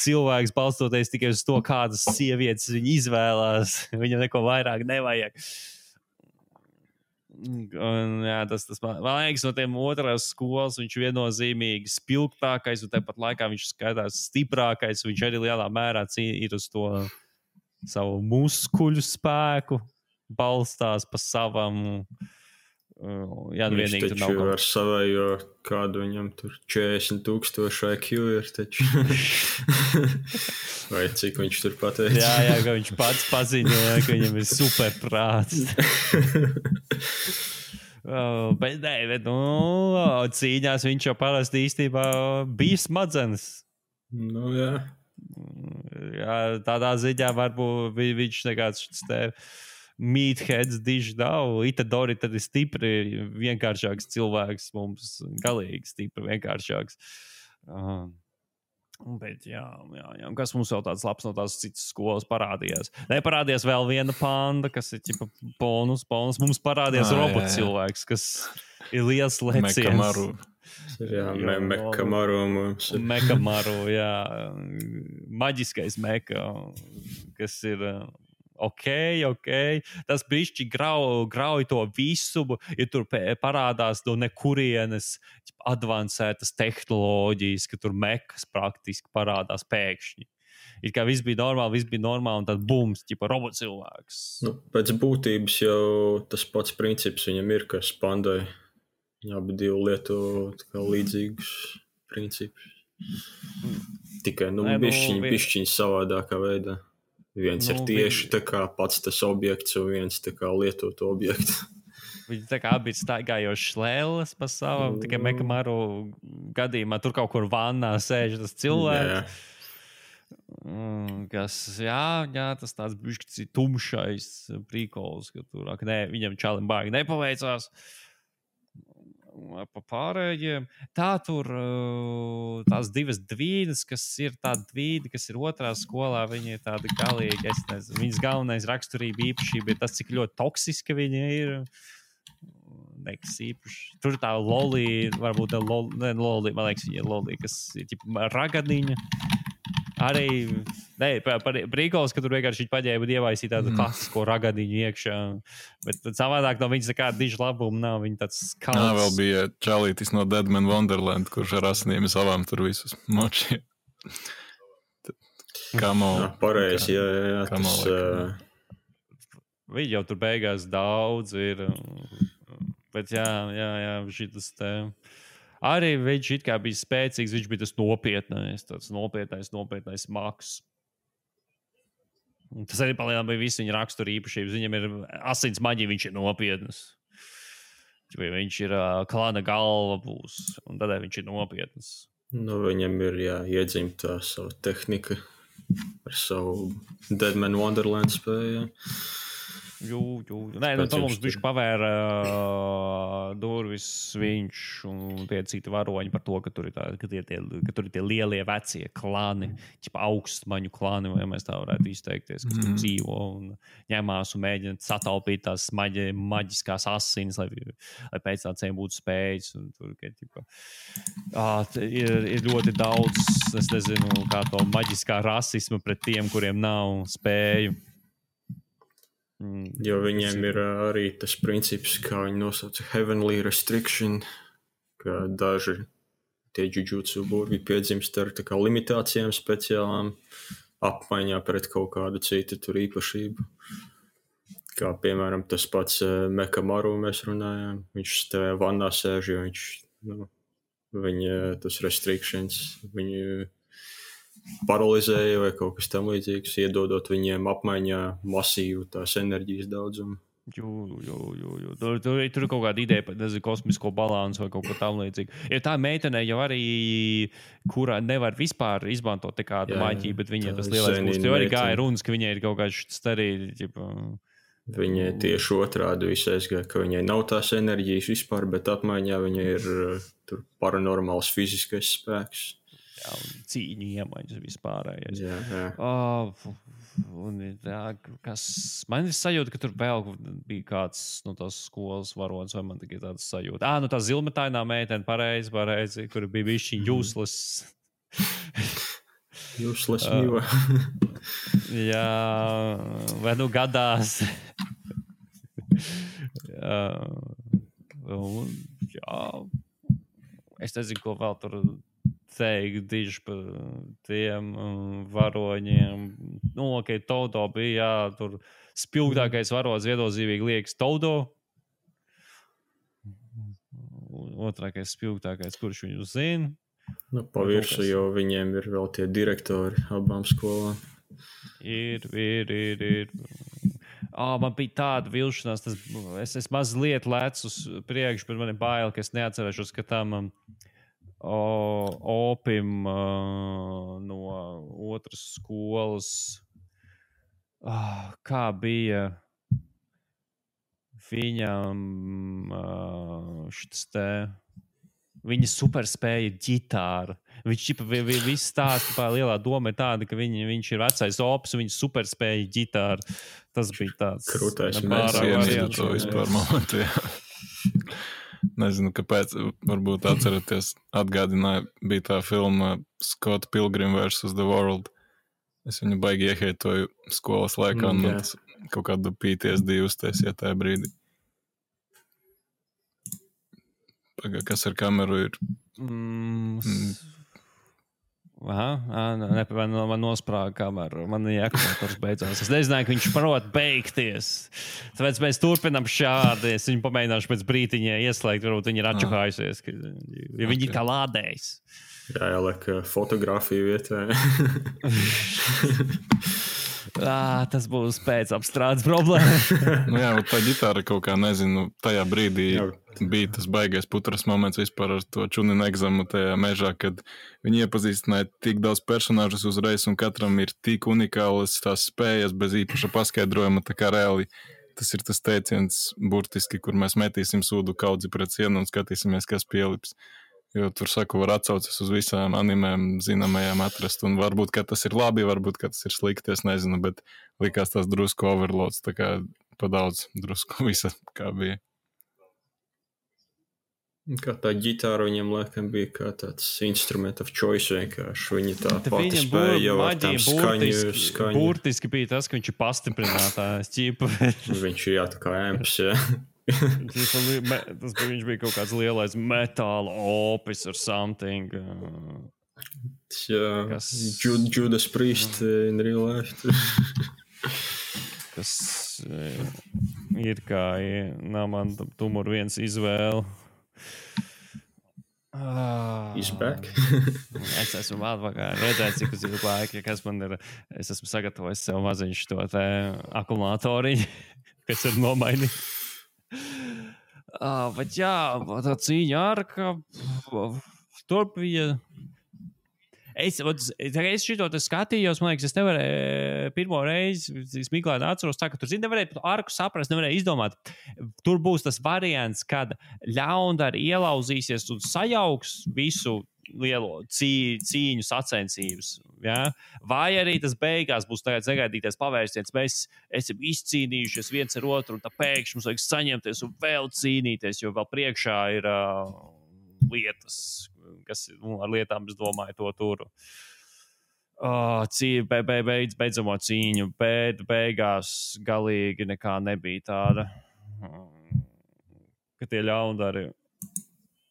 cilvēks balstoties tikai uz to, kādas sievietes viņi izvēlās, viņam neko vairāk nevajag. Un, jā, tas man liekas, no tiem otrās skolas viņš viennozīmīgi spilgtākais, un tāpat laikā viņš skaitās stiprākais. Viņš arī lielā mērā ir uz to savu muskuļu spēku, balstās pa savam. Jā, nu viņš vienīgi tur taču nav ar savējo, kādu viņam tur 40,000 IQ ir taču. Vai cik viņš tur pateica? Jā, ka viņš pats paziņoja, ka viņam ir superprāts. Bet cīņās viņš jau parasti īstībā bija smadzenes. Nu, jā. Jā, tādā ziņā varbūt viņš nekāds meatheads diži nav. Itadori tad ir stipri vienkāršāks cilvēks. Mums galīgi stipri vienkāršāks. Bet jā. Kas mums vēl tāds labs no tās citas skolas parādījās? Neparādījās vēl viena panda, kas ir ķipa bonus. Mums parādījās robots cilvēks, kas ir liels leciens. Mekamaru mums ir. Mekamaru, jā. Maģiskais meka, kas ir ok. Tas bišķi grauj to visumu, ja tur parādās no nekurienes advancētas tehnoloģijas, ka tur mekas praktiski parādās pēkšņi. Ir kā viss bija normāli, un tad bums, ķipa robotcilvēks. Nu, pēc būtības jau tas pats princips viņam ir, kas pandai. Viņi abi divi lieto līdzīgus principus. Tikai bišķiņi savādākā veidā. Viens ir tieši tā kā pats tas objekts, un viens tā kā lietot objektu. Viņi tā kā abi ir staigājoši šlēles pa savam, tikai Mekamaru gadījumā tur kaut kur vannā sēž tas cilvēks. Kas, jā, tas tāds bišķi tumšais prīkols, ka tur, viņam čalim baigi nepaveicās. Pa pārējiem. Tā tur tās divas dvīnes, kas ir tāda dvīne, kas ir otrā skolā, viņi ir tādi galīgi, es nezinu, viņas galvenais raksturība īpašība ir tas, cik ļoti toksiski viņi ir. Nekas īpaši. Tur tā lolī, varbūt lolī, man liekas, viņa ir lolī, kas ir ķipa ragadiņa. Arī, brīkols, ka tur vienkārši viņi paģēba un ievaisīja tādu klasisko ragadiņu iekšā. Bet savādāk no viņas nekāda diža labuma nav. Viņa tāds skauts. Nā, vēl bija čalītis no Dead Man Wonderland, kurš ar asinīm savām tur visus močiem. Kamo. Pareizi, jā. Viņi jau tur beigās daudz ir. Bet jā, šitas te... Arī viņš it kā bija spēcīgs, viņš bija tas nopietnais, tāds nopietnais maks. Tas arī palielinām bija visi viņa rakstura īpašības. Viņam ir asins maģija, viņš ir nopietnas. Viņš ir klāna galva būs, un tādēļ viņš ir nopietnas. Nu, viņam ir iedzimta savu tehnika ar savu Dead Man Wonderland spēju. Nē, tad mums bišķi pavēra durvis viņš un tie citi varoņi par to, ka tur ir tie lielie vecie klāni, ķipa augstmaņu klāni, vai mēs tā varētu izteikties, kas tur dzīvo un ņemās un mēģina sataupīt tās maģiskās asinis, lai pēc tā cēm būtu spējas. Un tur, ķipa, ir ļoti daudz, es nezinu, kā to maģiskā rasisma pret tiem, kuriem nav spēju. Jo viņiem ir arī tas princips, kā viņi nosauca heavenly restriction, ka daži tie jujutsu burvi piedzimst ar tā kā limitācijām speciālām apmaiņā pret kaut kādu citu tur īpašību. Kā piemēram tas pats Mekamaru mēs runājām. Viņš tajā vannā sēž, jo viņš, viņa tas restrictions, viņu paralizēja vai kaut kas tam līdzīgs, iedodot viņiem apmaiņā masīvu tās enerģijas daudzumu. Tur ir kaut kāda ideja par kosmisko balansu vai kaut ko tam līdzīgu. Ja tā meitene jau arī, kurā nevar vispār izmantot kādu maģiju, bet viņai tas lielais būs. Jo arī gāja runas, ka viņai ir kaut kāds starīgi. Viņai tieši otrādi visu aizgāja, ka viņai nav tās enerģijas vispār, bet apmaiņā viņai ir tur paranormāls fiziskais spēks. Jā, cīņu iemaņas vispārējais. Man ir sajūta, ka tur vēl bija kāds no tās skolas varonis, vai man tikai tāds sajūta. Tā zilmetainā meitene, pareizi, kur bija bišķiņ useless. Useless mīva. Jā, vai gadās. Jā, es nezinu, ko vēl tur teikt diži par tiem varoņiem. Nu, ok, Todo bija, jā, tur spilgtākais varonis viennozīmīgi liekas Todo. Otrākais spilgtākais, kurš viņu zina. Nu, pa virsu, jo viņiem ir vēl tie direktori abām skolām. Ir. Man bija tāda vilšanās, es mazliet lecu uz priekšu, bet man ir bail, ka es neatcerēšos, ka tam Opim no otras skolas, kā bija viņam šis te, viņa superspēja ģitāra. Viņš viss stāsta par lielā doma ir tāda, ka viņš ir vecais Opis, viņa superspēja ģitāra. Tas bija tāds krūtais variants. To vispār momentu, jā. Nezinu, kāpēc, varbūt atceraties, atgādināja, bija tā filma Scott Pilgrim vs. The World. Es viņu baigi ieheitoju skolas laikā, un tas kaut kādu PTSD uztaisīja tajā brīdī. Kas ar kameru ir? Man nosprāga kameru. Man jākontrolēs beidzās. Es nezināju, ka viņš prot beigties. Tāpēc mēs turpinām šādi. Es viņu pamēģināšu pēc brītiņa ieslēgt. Varbūt viņi ir atčuhājusies. Ja viņi ir kā lādējis. Jā, liek fotografiju vietā. Tas būs pēc apstrādes problēma. Nu jā, tā ģitāra kaut kā, nezinu, tajā brīdī bija tas baigais putras moments vispār ar to čuninu egzamu tajā mežā, kad viņi iepazīstināja tik daudz personāžus uzreiz un katram ir tik unikālas tās spējas bez īpaša paskaidrojuma, tā kā reāli tas ir tas teiciens burtiski, kur mēs metīsim sūdu kaudzi pret sienu un skatīsimies, kas pielips. Jo tur, saku, var atsaucas uz visām animēm zināmajām atrast, un varbūt, ka tas ir labi, varbūt, ka tas ir slikti, es nezinu, bet likās tās drusku overloads, tā kā pa daudz drusku visa, kā bija. Kā tā ģitāra viņam laikam bija kā tāds instrument of choice vienkārši. Viņi tā pati spēja jau ar tām skaņu. Burtiski bija tas, ka viņš ir pastiprinātājs ķipa. Viņš ir jā, tā kā amps, jā. Viņš bija kaut kāds lielais metāla Opis or something. Jā, Judas Priest in real life. Kas ir kā, nav man tumur viens izvēle. He's back. Es esmu atpakaļ. Redzēt, cik uz ilgu laiku, kas man ir. Es esmu sagatavojis sev maziņš to te akumulatoriņu, kas ir nomainīt. Bet jā, tā cīņa ar, ka tur bija. Es šito te skatījos, man liekas, es nevarēju pirmo reizi, es Miklēni atceros tā, ka tur, nevarēju arku saprast, nevarēju izdomāt. Tur būs tas variants, kad ļaundari ielauzīsies un sajauks visu lielo cīņu sacensības. Ja? Vai arī tas beigās būs tagad negaidīties pavērsiens. Mēs esam izcīnījušies viens ar otru, un tā pēkšņi mums vajag saņemties un vēl cīnīties, jo vēl priekšā ir lietas, kas ar lietām, es domāju, to turu. Beidzamo cīņu, bet beigās galīgi nekā nebija tāda, ka tie ļaundari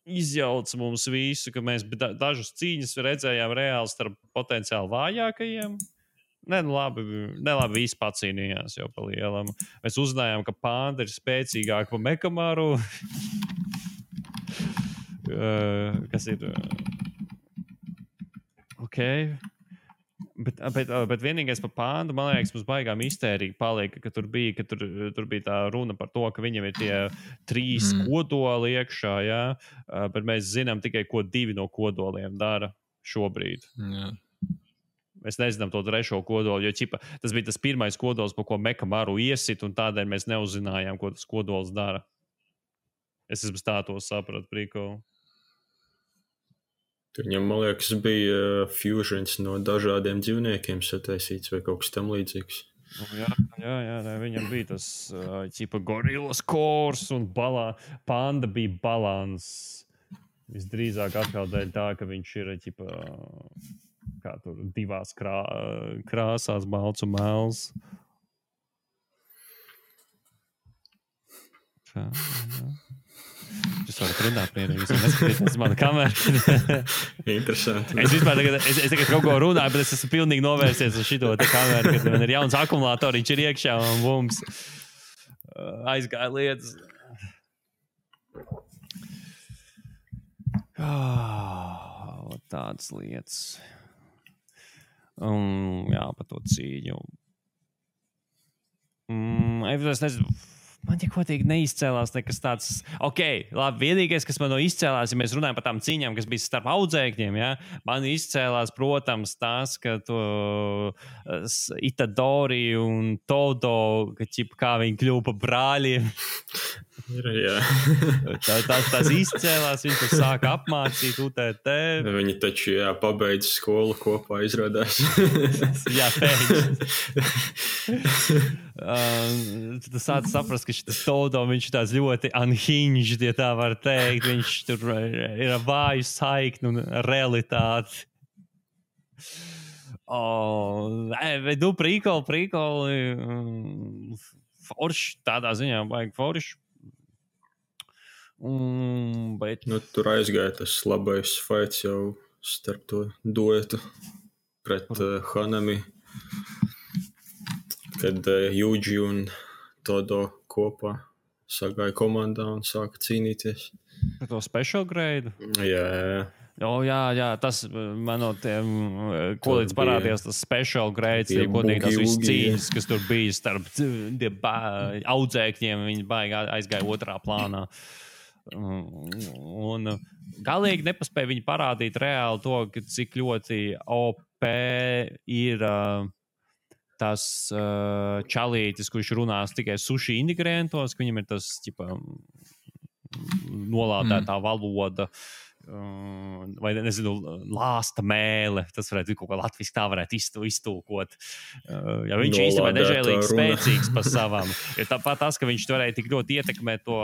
izjauc mums visu, ka mēs dažas cīņas redzējām reāli starp potenciāli vājākajiem. Labi, visi pacīnījās jau pa lielam. Mēs uzzinājām, ka panda ir spēcīgāka par Mekamaru. Kas ir ok. Bet vienīgais par pāndu, man liekas, mums baigā mistērija paliek, ka tur bija tā runa par to, ka viņam ir tie 3 kodoli iekšā, jā, bet mēs zinām tikai, ko 2 no kodoliem dara šobrīd. Jā. Mēs nezinām to 3. kodolu, jo tas bija tas pirmais kodols, pa ko Mekamaru iesit, un tādēļ mēs neuzinājām, ko tas kodols dara. Es tā to sapratu, prikolu. Tur viņam, man liekas, bija fusions no dažādiem dzīvniekiem sataisīts vai kaut kas tam līdzīgs. Jā, viņam bija tas gorilas kors un panda bija balans. Visdrīzāk atkal dēļ tā, ka viņš ir kā tur 2 krāsās, balts un melns. Jūs varat runāt mierīgi, jūs neskatieties mana kamera. Interesanti. Es tagad kaut ko runāju, bet es esmu pilnīgi novērsies uz šito te kameru, kad man ir jauns akumulātoriņš ir iekšā un bums aizgāja lietas. Tādas lietas. Jā, par to cīņu. Es nezinu. Man tik kodīgi neizcēlās nekas tāds. Ok, labi, vienīgais, kas man no izcēlās, ja mēs runājam par tām cīņām, kas bija starp audzēkņiem, ja, man izcēlās, protams, tas, ka to Itadori un Todo, kā viņi kļuva par brāļiem. Jā. Tas izcēlās, viņi tur sāka apmācīt UTT. Viņi taču, pabeidz skolu kopā, izrādās. Jā, pēkšņi. Tas sāc saprast, ka šis Todo, viņš ir tāds ļoti unhinged, ja tā var teikt. Viņš tur ir vāju saikni un realitāti. Prikoli. Forši, tādā ziņā vajag forši. Bet... Tur aizgāja tas labais fights jau starp to duetu pret Hanami, kad Yuji un Todo kopā sagāja komandā un sāka cīnīties. Par to special grade? Jā. Jā, tas man no tiem, ko līdz parādījās, tas special grades, ja godīgi tās visas cīņas, kas tur bija starp audzēkņiem, viņi baigi aizgāja otrā plānā. Un galīgi nepaspēja viņi parādīt reāli to, cik ļoti OP ir tas čalītis, kurš runās tikai suši ingredientos, ka viņam ir tas nolādētā valoda vai, nezinu, lāsta mēle. Tas varētu kaut kā latviski tā varētu iztulkot. Ja viņš īstenībā nežēlīgi spēcīgs par savām. Ja tāpat tas, ka viņš varēja tik ļoti ietekmēt to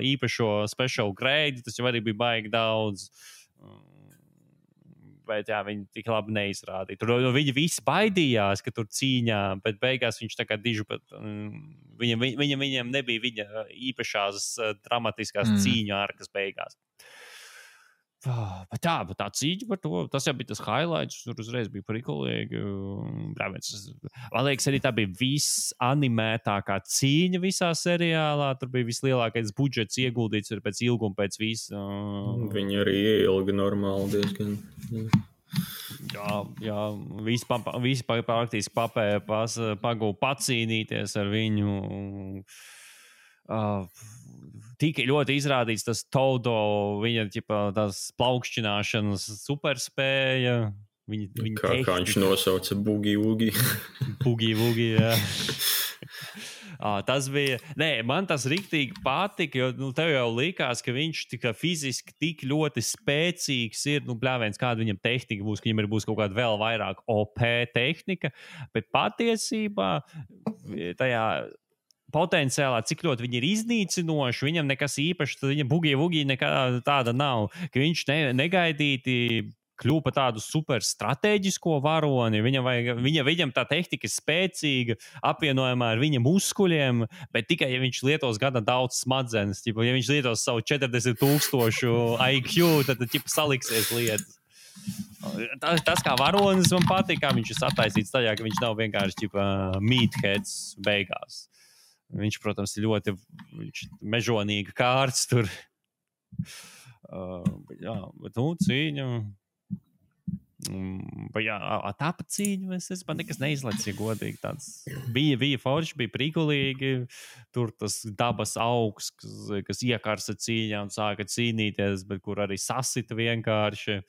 īpašo special grade, tas jau arī bija baigi daudz. Bet jā, viņi tik labi neizrādīja. Tur viņi visi baidījās, ka tur cīņā, bet beigās viņš tā kā dižu pat... Viņam nebija viņa īpašās dramatiskās cīņu ārkas beigās. Bet tā cīņa par to, tas jau bija tas highlights, tur uzreiz bija prikolīgi. Man liekas, arī tā bija visanimētākā cīņa visā seriālā. Tur bija vislielākais budžets ieguldīts pēc ilguma, pēc visa. Viņi arī ieilga normāli diezgan. Jā, visi praktiski pagūja pacīnīties ar viņu. Tika ļoti izrādīts tas Todo, viņa tās plaukšķināšanas superspēja. Kā viņš nosauca Boogie-Woogie. Boogie-Woogie, jā. Tas bija... Nē, man tas riktīgi patika, jo tev jau likās, ka viņš fiziski tik ļoti spēcīgs ir. Bļāviens, kāda viņam tehnika būs, ka viņam būs kaut kāda vēl vairāk OP tehnika. Bet patiesībā tajā... potenciālā, cik ļoti viņi ir iznīcinoši, viņam nekas īpašs, tad viņa Boogie-Woogie nekā tāda nav, ka viņš negaidīti kļūpa par tādu super strateģisko varoni, viņam tā tehnika ir spēcīga, apvienojumā ar viņa muskuļiem, bet tikai, ja viņš lietos gana daudz smadzenes, ja viņš lietos savu 40,000 IQ, tad saliksies lietas. Tas kā varonis man patīk, kā viņš ir sataisīts tajā, ka viņš nav vienkārši meatheads beigās. Viņš, protams, ir ļoti mežonīga kārts tur. Bet cīņa. Tāpa cīņa, man nekas neizlaicis, ja godīgi tāds. Bija forši, bija prikulīgi. Tur tas dabas augs, kas iekarsa cīņā un sāka cīnīties, bet kur arī sasita vienkārši.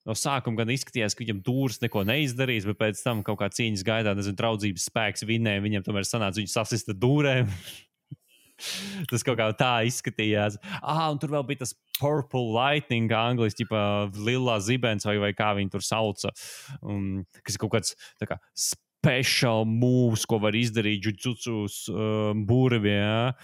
No sākuma gan izskatījās, ka viņam dūrs neko neizdarīs, bet pēc tam kaut kā cīņas gaidā, draudzības spēks vinēja, viņam tomēr sanāca viņu sasista dūrēm. Tas kaut kā tā izskatījās. Un tur vēl bija tas Purple Lightning, angliski, lilā zibens vai kā viņi tur sauca. Kas ir kaut kāds tā kā special moves, ko var izdarīt jujutsus burvi, jā.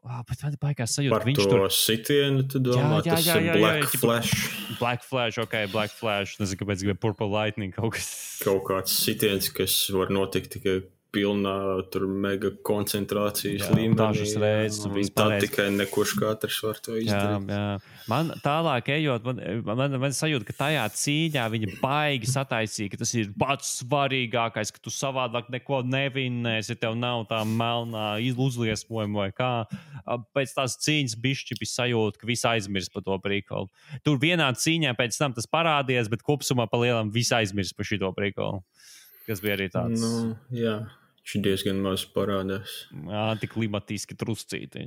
Bet man baigās sajūta, ka viņš tur... Par to sitienu, tu domā, tas ir Black Flash. Black Flash, Black Flash. Nezinu, kāpēc gribēja Purple Lightning kaut kas. Kaut kāds sitiens, kas var notikt tikai pilnā tur mega koncentrācijas līmenī. Dažas reizes. Tā tikai nekurš katrs var to izdarīt. Jā. Man tālāk ejot, man sajūta, ka tajā cīņā viņi baigi sataisīja, ka tas ir pats svarīgākais, ka tu savādāk neko nevinnēsi, tev nav tā melnā uzliesmojuma vai kā. Pēc tās cīņas bišķi bija sajūta, ka visi aizmirst par to prikolu. Tur vienā cīņā pēc tam tas parādījās, bet kopsumā pa lielam visi aizmirst par šito prikolu. Kas bija arī tāds. Jā, viņš diezgan maz parādās. Antiklimatiski truscīti.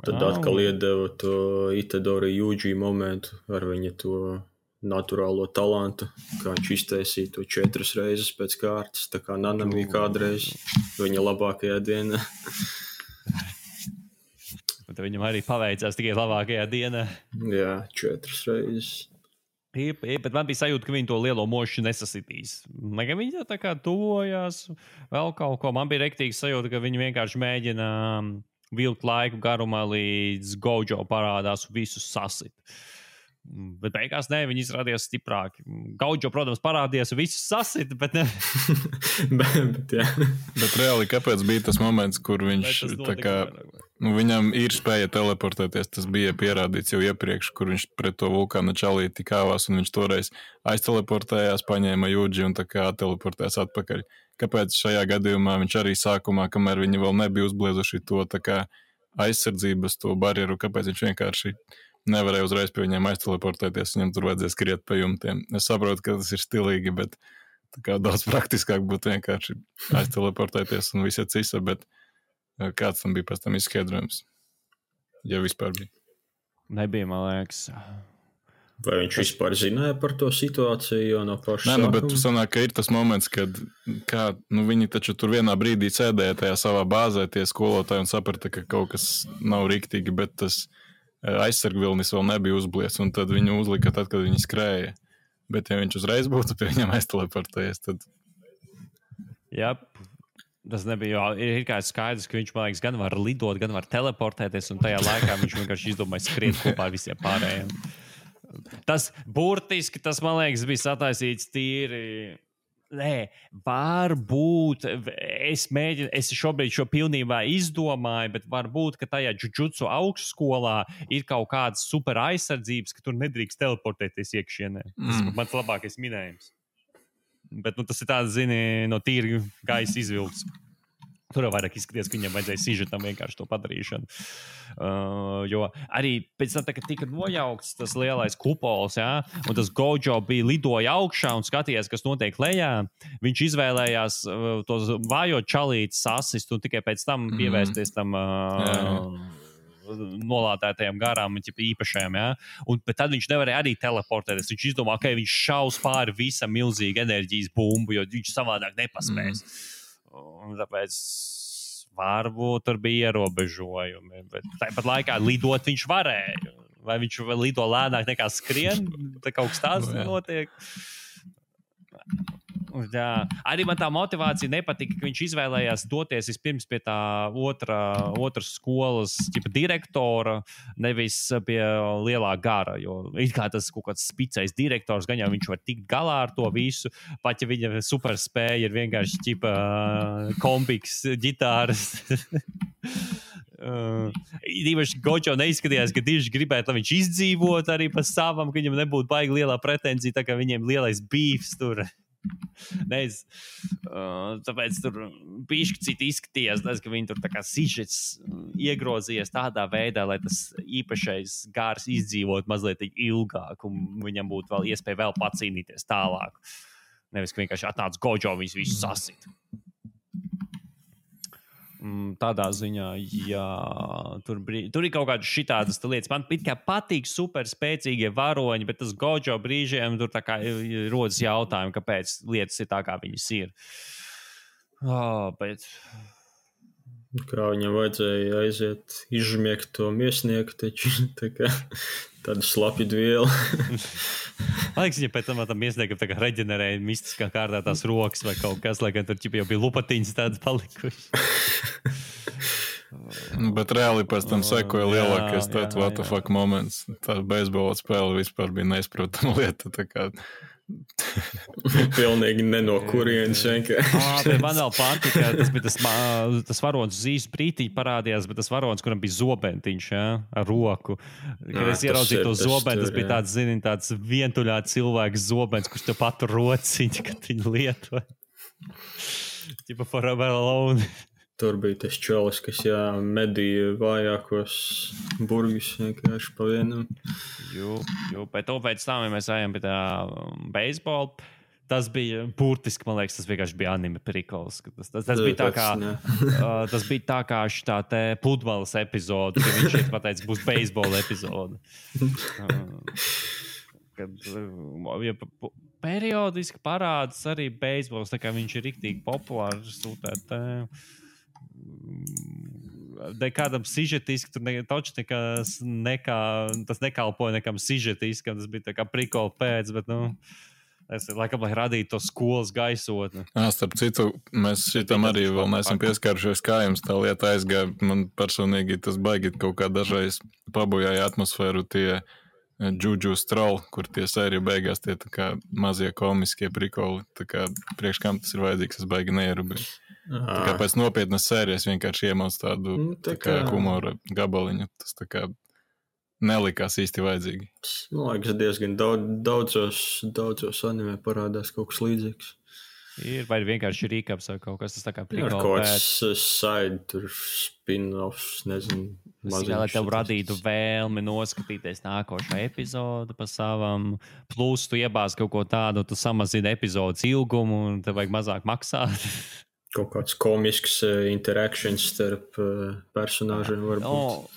Tad atkal iedeva to Itadori Yuji momentu ar viņa to naturālo talantu, kā viņš iztaisīja to 4 reizes pēc kārtas, tā kā Nanami kādreiz viņa labākajā dienā. Bet viņam arī paveicās tikai labākajā dienā. Jā, 4 reizes. Bet man bija sajūta, ka viņi to lielo mošu nesasitīs. Viņi tā kā tuvojās vēl kaut ko. Man bija rektīgi sajūta, ka viņi vienkārši mēģina vilkt laiku garumā, līdz Gojo parādās visus sasit. Bet beigās viņi izrādījās stiprāki. Gojo, protams, parādījās visus sasit, bet ne. Bet reāli, kāpēc bija tas moments, kur viņš tā kā... viņam ir spēja teleportēties, tas bija pierādīts jau iepriekš, kur viņš pret to vulkāna čalīti kāvās, un viņš toreiz aizteleportējās, paņēma Yuji un tā kā teleportējās atpakaļ. Kāpēc šajā gadījumā viņš arī sākumā, kamēr viņi vēl nebija uzbliezuši to tā kā aizsardzības, to barjeru, kāpēc viņš vienkārši nevarēja uzreiz pie viņiem aizteleportēties, viņam tur vajadzēs skriet pa jumtiem. Es saprotu, ka tas ir stilīgi, bet tā kā daudz praktiskāk būtu vienkārši aizteleportēties un visi cisa, bet kāds tam bija pēc tam izskaidrojums? Ja vispār bija. Nebija, man liekas. Vai viņš vispār zināja par to situāciju, jo no paša sākuma? Bet sanāk, ka ir tas moments, kad viņi taču tur vienā brīdī sēdēja tajā savā bāzē, tie skolotāji, un saprata, ka kaut kas nav riktīgi, bet tas aizsargvilnis vēl nebija uzblies, un tad viņu uzlika tad, kad viņi skrēja. Bet ja viņš uzreiz būtu pie viņam aizteleportējies, tad... Jā. Tas nebija, ir kā skaidrs, ka viņš, man liekas, gan var lidot, gan var teleportēties, un tajā laikā viņš vienkārši izdomāja skriet kopā ar visiem pārējiem. Tas burtiski, man liekas, bija sataisīts tīri... Nē, varbūt es šobrīd šo pilnībā izdomāju, bet varbūt, ka tajā jujutsu augšskolā ir kaut kādas super aizsardzības, ka tur nedrīkst teleportēties iekšienē. Tas ir mans labākais minējums. Bet tas ir tāds, no tīri gaisa izvilks. Tur jau vairāk izskaties, ka viņam vajadzēja sižetam vienkārši to padarīšanu. Jo arī pēc tam, kad tika nojaukts tas lielais kupols, un tas Gojo bija lidoja augšā un skatījās, kas notiek lejā, viņš izvēlējās tos vājo čalītes asist un tikai pēc tam pievērsties tam nolādētajām garām un īpašajām, un tad viņš nevarēja arī teleportēties. Viņš izdomā, ka viņš šaus pāri visam milzīgu enerģijas bumbu, jo viņš savādāk nepaspēs. Un tāpēc varbūt tur bija ierobežojumi, bet tāpat laikā lidot viņš varēja. Vai viņš lido lēnāk nekā skrien? Tā kaut kas tāds notiek. Jā. Arī man tā motivācija nepatika, ka viņš izvēlējās doties vispirms pie tā otras skolas direktora, nevis pie lielā gara, jo it kā tas kaut kāds spicais direktors, gan jau viņš var tikt galā ar to visu, pat ja viņa superspēja ir vienkārši kompiks, ģitāras. Īpaši Gojo neizskatījās, ka tieši gribētu, lai viņš izdzīvot arī pa savam, ka viņam nebūtu baigi lielā pretenzija, tā kā viņiem lielais beefs tur. Tāpēc tur bišķi citi izskatījās, ka viņi tur tā kā sižets iegrozījies tādā veidā, lai tas īpašais gārs izdzīvot mazliet ilgāk un viņam būtu vēl iespēja vēl pacīnīties tālāk. Nevis, ka vienkārši atnāc Gojo viņus visus sasit. Tādā ziņā, jā, tur ir kaut kādas šitādas lietas. Man it kā patīk super spēcīgie varoņi, bet tas Gojo brīžiem tur tā kā rodas jautājumi, kāpēc lietas ir tā, kā viņas ir. Bet... Kā viņam vajadzēja aiziet, izžmiegt to miesnieku, taču tā kā tādu slapju vielu. Man liekas, ja pēc tam miesniekam tā kā reģenerēja mistiskā kārtā tās rokas vai kaut kas, lai gan tur jau bija lupatiņas tādas palikuši. Bet reāli pēc tam sekoja lielākais what the fuck moments. Tā beisbola spēle vispār bija neizprotama lieta. Tā kā Pilnīgi ne no kurienes vienkārši. Man vēl patika, tas bija tas varonis zīves brītiņi parādījās, bet tas varonis, kuram bija zobentiņš, ar roku. Kad es ieraudzīju to zobeni, tas bija tāds vientuļā cilvēks zobens, kurš tev patur rociņu, kad viņu lieto. Tipa forever alone. Tur bija tas čolis, kas medīja vājākos burgus vienkārši pa vienam. Bet pēc tam, ja mēs ejam pie tā beisbola, tas bija burtiski, man liekas, tas vienkārši bija anime prikols. Tas bija tā kā, tas bija tā kā šitā te pludmales epizode, ka viņš šeit pateica, būs beisbola epizode. Kad periodiski parādas arī beisbols, tā kā viņš ir riktīgi populārs, kādam sižetiski, tur tas nekalpoja nekam sižetiskam, tas bija tā kā prikola pēc, bet, es laikam, lai radītu to skolas gaisotni. Starp citu, mēs šitam arī vēl neesam pieskārušies, kā jums tā lieta aizgāja. Man personīgi tas baigi kaut kā dažreiz pabojāja atmosfēru tie Juju Stroll, kur tie sēriju beigās tie tā kā mazie komiskie prikoli. Tā kā priekš kam tas ir vajadzīgs, tas baigi neierubīja. Tā kā pēc nopietnas sērijas vienkārši iemauc tādu tā kā humora gabaliņu. Tas tā kā nelikās īsti vajadzīgi. Man liekas, diezgan daudzos anime parādās kaut kas līdzīgs. Vai vienkārši rīkaps vai kaut kas tas tā kā prikola pēc. Kaut kas side, tur spin-offs, nezinu. Lai tev radītu vēlmi noskatīties nākošo epizodu pa savam, plus tu iebāz kaut ko tādu, tu samazini epizodes ilgumu un tev vajag mazāk maksāt. Kaut kāds komisks interaktions starp personāžiem varbūt.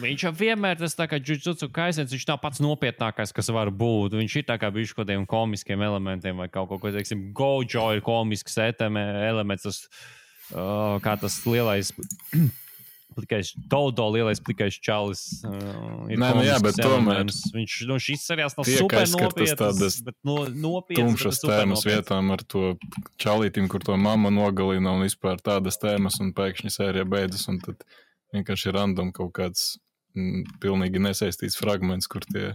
Viņš jau vienmēr tas tā kā Jujutsu Kaisens, viņš nav pats nopietnākais, kas var būt. Viņš ir tā kā bijuši kaut kādiem komiskiem elementiem vai kaut ko, teiksim, Gojo ir komisks elements, tas, kā tas lielais plikais, Dodo lielais plikais čalis ir komisks elements. Viņš, šis seriāls nav super nopietnas, bet nopietnas. Tumšas tēmas vietām ar to čalītim, kur to mamma nogalina un vispār tādas tēmas un pēkšņi sērija beidzas un tad vienkārši random kaut kāds pilnīgi nesaistīts fragments, kur tie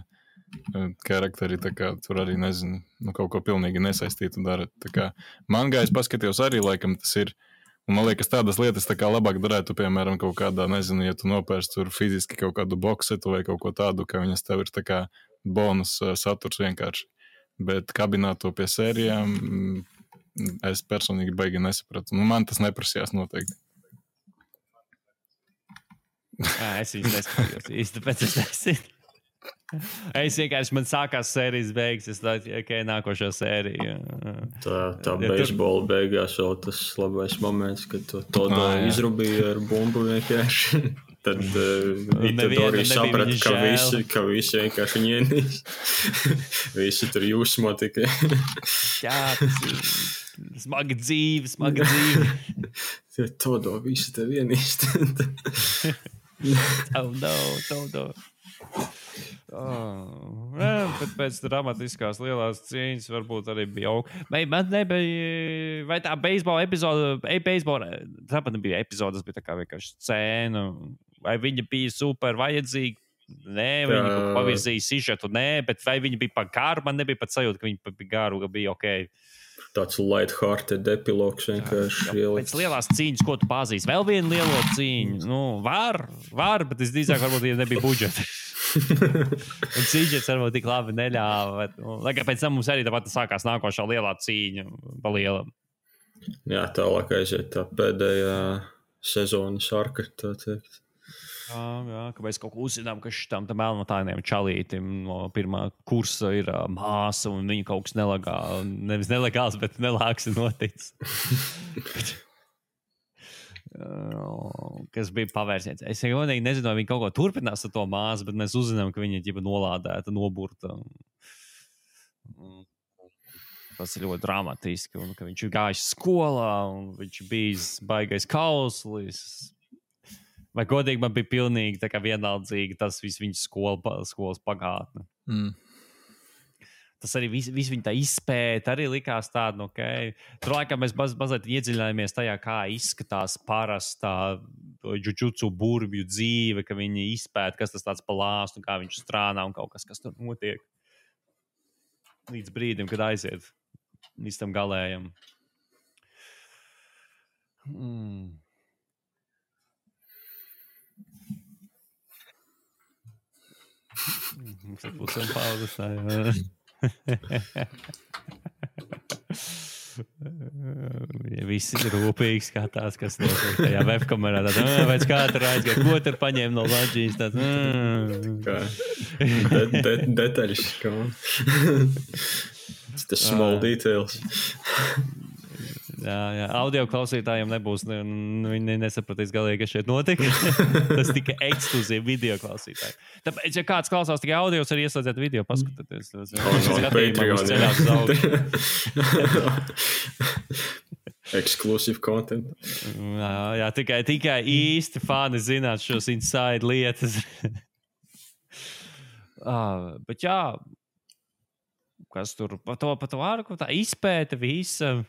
karakteri tā kā tur arī nezinu, kaut ko pilnīgi nesaistītu dara. Tā kā mangā es paskatījos arī, laikam tas ir. Un man liekas, tādas lietas tā kā labāk darētu, piemēram, kaut kādā, nezinu, ja tu nopērsi tur fiziski kaut kādu boksetu vai kaut ko tādu, ka viņas tev ir tā kā bonus saturs vienkārši. Bet kabināt to pie sērijām, es personīgi baigi nesapratu. Man tas neprasījās noteikti. Es viņus neskatījos īsti, tāpēc es nezinu. Es vienkārši, man sākās sērijas beigas, es tādu, nākošā sērija. Tā beisbola beigās vēl tas labais moments, kad to izrubīja ar bumbu vienkārši. Tad Itadori saprata, ka visi vienkārši viņu ienīs. Visi tur jūsmo tikai. Jā, tas ir smaga dzīve. Todo, visi tev ienīst. Todo. Bet pēc dramatiskās lielās cīņas varbūt arī bija man nebija, vai tā beisbola epizode, tāpat nebija epizode, tas bija tā kā vienkārši scēna, vai viņa bija super vajadzīga, nē, viņa kaut pavirzīja sižetu, nē, bet vai viņa bija pa garu, man nebija pat sajūta, ka viņa bija garu, ka bija okei. Tāds light-hearted epilogs vienkārši ielikt. Pēc lielās cīņas, ko tu pazīsti? Vēl vienu lielo cīņu. Var, bet es drīzāk varbūt ja nebija budžeta. Un cīņas varbūt tik labi neļāva. Lai kā pēc tam mums arī tāpat sākās nākošā lielā cīņa pa lielam. Jā, tālāk aiziet tā pēdējā sezonas arka, tā teikt. Jā, ka mēs kaut ko uzzinām, ka šitam melnotāiniem čalītim no pirmā kursa ir māsa un viņa kaut kas nevis nelegāls, bet nelāks ir noticis. Kas bija pavērsiens. Es godīgi nezinu, vai viņi kaut ko turpinās ar to māsu, bet mēs uzzinām, ka viņa ir nolādēta, noburta. Tas ir ļoti dramatiski, un ka viņš ir gājis skolā, un viņš ir bijis baigais kauslis. Vai godīgi man bija pilnīgi tā kā vienaldzīgi tas viss viņa skolas pagātne. Tas arī viss viņa tā izpēta arī likās tāda, Tur laikam mēs mazliet iedziļinājāmies tajā, kā izskatās parastā Jujutsu burvju dzīve, ka viņi izpēta, kas tas tāds pa lāstu, kā viņš strādā un kaut kas tur notiek. līdz brīdim, kad aiziet līdz tam galējam. Mums ir pusēm pauzes. Visi ir rūpīgi skatās, kas notiek tajā webkamerā. Pēc katra aizgāja, ko tur paņēma no Latvijas. Detaļas. Tas small details. Jā, audio klausītājiem nebūs, viņi nesapratīs galīgi, kas šeit notika. Tas tika ekskluzīvi video klausītāji. Tāpēc, ja kāds klausās tikai audio, arī ieslēdziet video, paskatieties. Exclusive content. Jā, tikai īsti fani zināt šos inside lietas. Bet jā, kas tur pa to vārku, tā izpēta visa.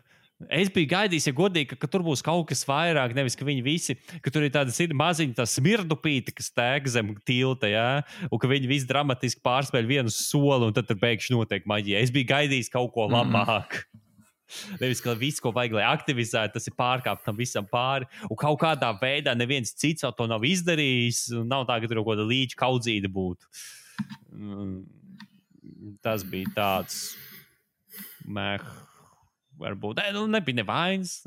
Es biju gaidījis, ja godīgi, ka tur būs kaut kas vairāk, nevis ka viņi visi, ka tur ir tādas maziņas tā smirdupīte, kas tēk zem tilta, jā, un ka viņi visi dramatiski pārspēļ vienu soli, un tad tur pēkšņi notiek maģija. Es biju gaidījis kaut ko labāk. Nevis, ka viss, ko vajag, lai aktivizētu, tas ir pārkāpt tam visam pāri, un kaut kādā veidā neviens cits to nav izdarījis, nav tā, ka tur kaut kāda līča kaudzīta būtu. Tas bija tāds varbūt, nebija nevainas.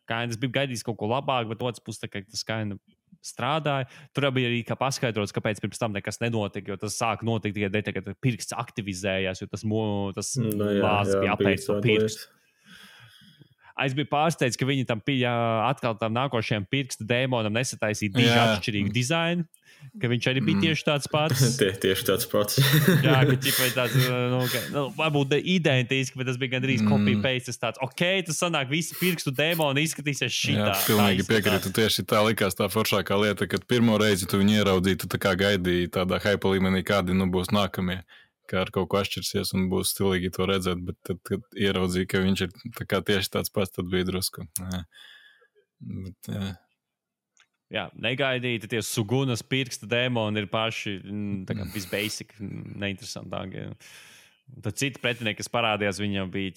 Kainas bija gaidījis kaut ko labāk, bet otrs puses tas kaina strādāja. Tur bija arī paskaidrots, kāpēc pirms tam nekas nenotika, jo tas sāk notikt tikai dēļ, kad pirksts aktivizējās, jo tas lāzes bija apēdis to pirkstu. Es biju pārsteigts, ka viņi tam atkal tam nākošajam pirkstu dēmonam nesataisīja diži atšķirīgu dizainu, ka viņš arī bija tieši tāds pats. Tieši tāds pats. Jā, ka ķipa ir tāds, varbūt identiski, bet tas bija gandrīz copy-paste. Tas tāds, tas sanāk, visi pirkstu dēmoni izskatīsies šitā. Jā, pilnīgi piekrītu. Tieši tā likās tā foršākā lieta, kad pirmo reizi tu viņu ieraudzīji, tu tā kā gaidīji tādā hype līmenī, kādi būs nākamie. Kā ar kaut ko atšķirsies un būs stilīgi to redzēt, bet tad, kad ieraudzīja, ka viņš ir tā kā tieši tāds pats, tad bija drusku. Jā, negaidīti tie Sugunas pirksta dēmoni ir paši visbasic, neinteresantākie. Tad citi pretinieki, kas parādījās, viņam bija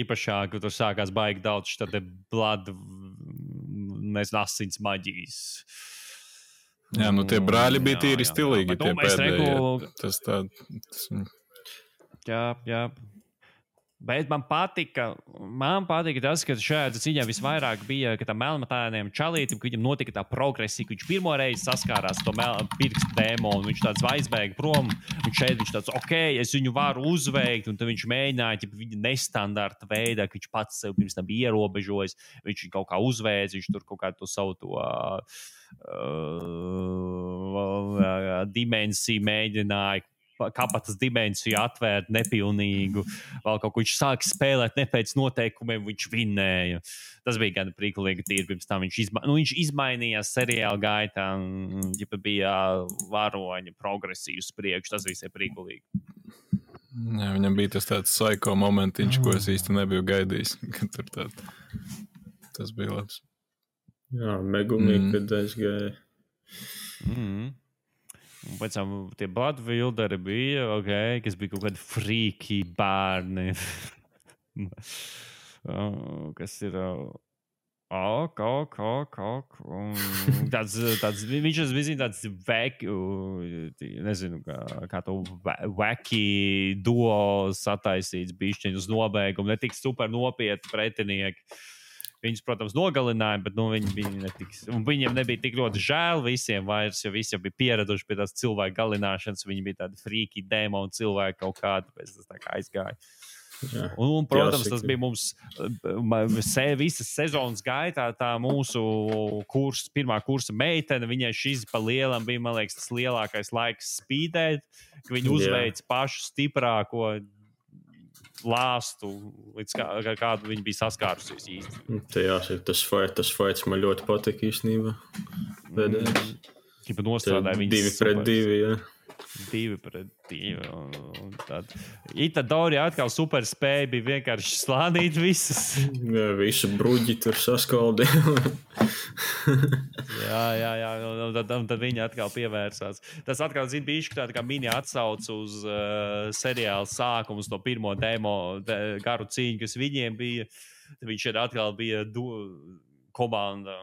īpašāki, tur sākās baigi daudz šitā te blood, asins maģijas. Jā, tie brāļi bija tīri stilīgi, tie pēdējie. Jā. Bet man patika tas, ka šajā cīņā visvairāk bija, ka tam melnmatēniem čalītim, ka viņam notika tā progresija, ka viņš pirmo reizi saskārās to pirkstu dēmonu, viņš tāds aizbēga prom, un šeit viņš tāds, es viņu varu uzveikt, un tad viņš mēģināja viņa nestandarta veidā, ka viņš pats sev pirms tam bija ierobežojis, viņš kaut kā uzveic, viņš tur kaut kā to savu dimensiju mēģināja, kapatas dimensiju atvērt nepilnīgu, vēl kaut ko viņš sāk spēlēt ne pēc noteikumiem, viņš vinēja. Tas bija gan prīkulīgi tīri, pirms tam viņš izmainījās seriāla gaitā, ja bija varoņa progresiju uz priekšu, tas viss ir prīkulīgi. Jā, viņam bija tas tāds psycho momentiņš, ko es īsti nebiju gaidījis, ka tur tas bija labs. Jā, Megumi, kad aizgāja. Un pēc tam tie Bloodwilderi bija, kas bija kaut kādi frīki bērni. Kas ir... Viņš bija tāds nezinu, kā to wacky duo sataisīts bišķiņ uz nobeigumu, ne tik super nopietni pretinieki. Viņus, protams, nogalināja, bet viņiem nebija tik ļoti žēl visiem vairs, jo visi jau bija pieraduši pie tās cilvēku galināšanas. Viņi bija tādi frīki, dēmoni cilvēki kaut kādi, pēc tas tā kā aizgāja. Jā. Un, protams, tas bija mums visas sezonas gaitā tā mūsu pirmā kursa meitene. Viņai šis pa lielam bija, man liekas, tas lielākais laiks spīdēt, ka viņi uzveic pašu stiprāko lāstu, līdz kādu viņi bija saskārusies īsti. Tas fights man ļoti patika īstenībā. Tipa nostrādāja viņas 2 pret 2, jā. 2-2. Itadori atkal super spēja, bija vienkārši slānīt visas. Visu bruģi tur saskaldīja. jā. Tad viņi atkal pievērsās. Tas atkal, bišķi tāda kā mini atsauc uz seriāla sākumu, uz to pirmo garu cīņu, kas viņiem bija. Viņš atkal bija komanda.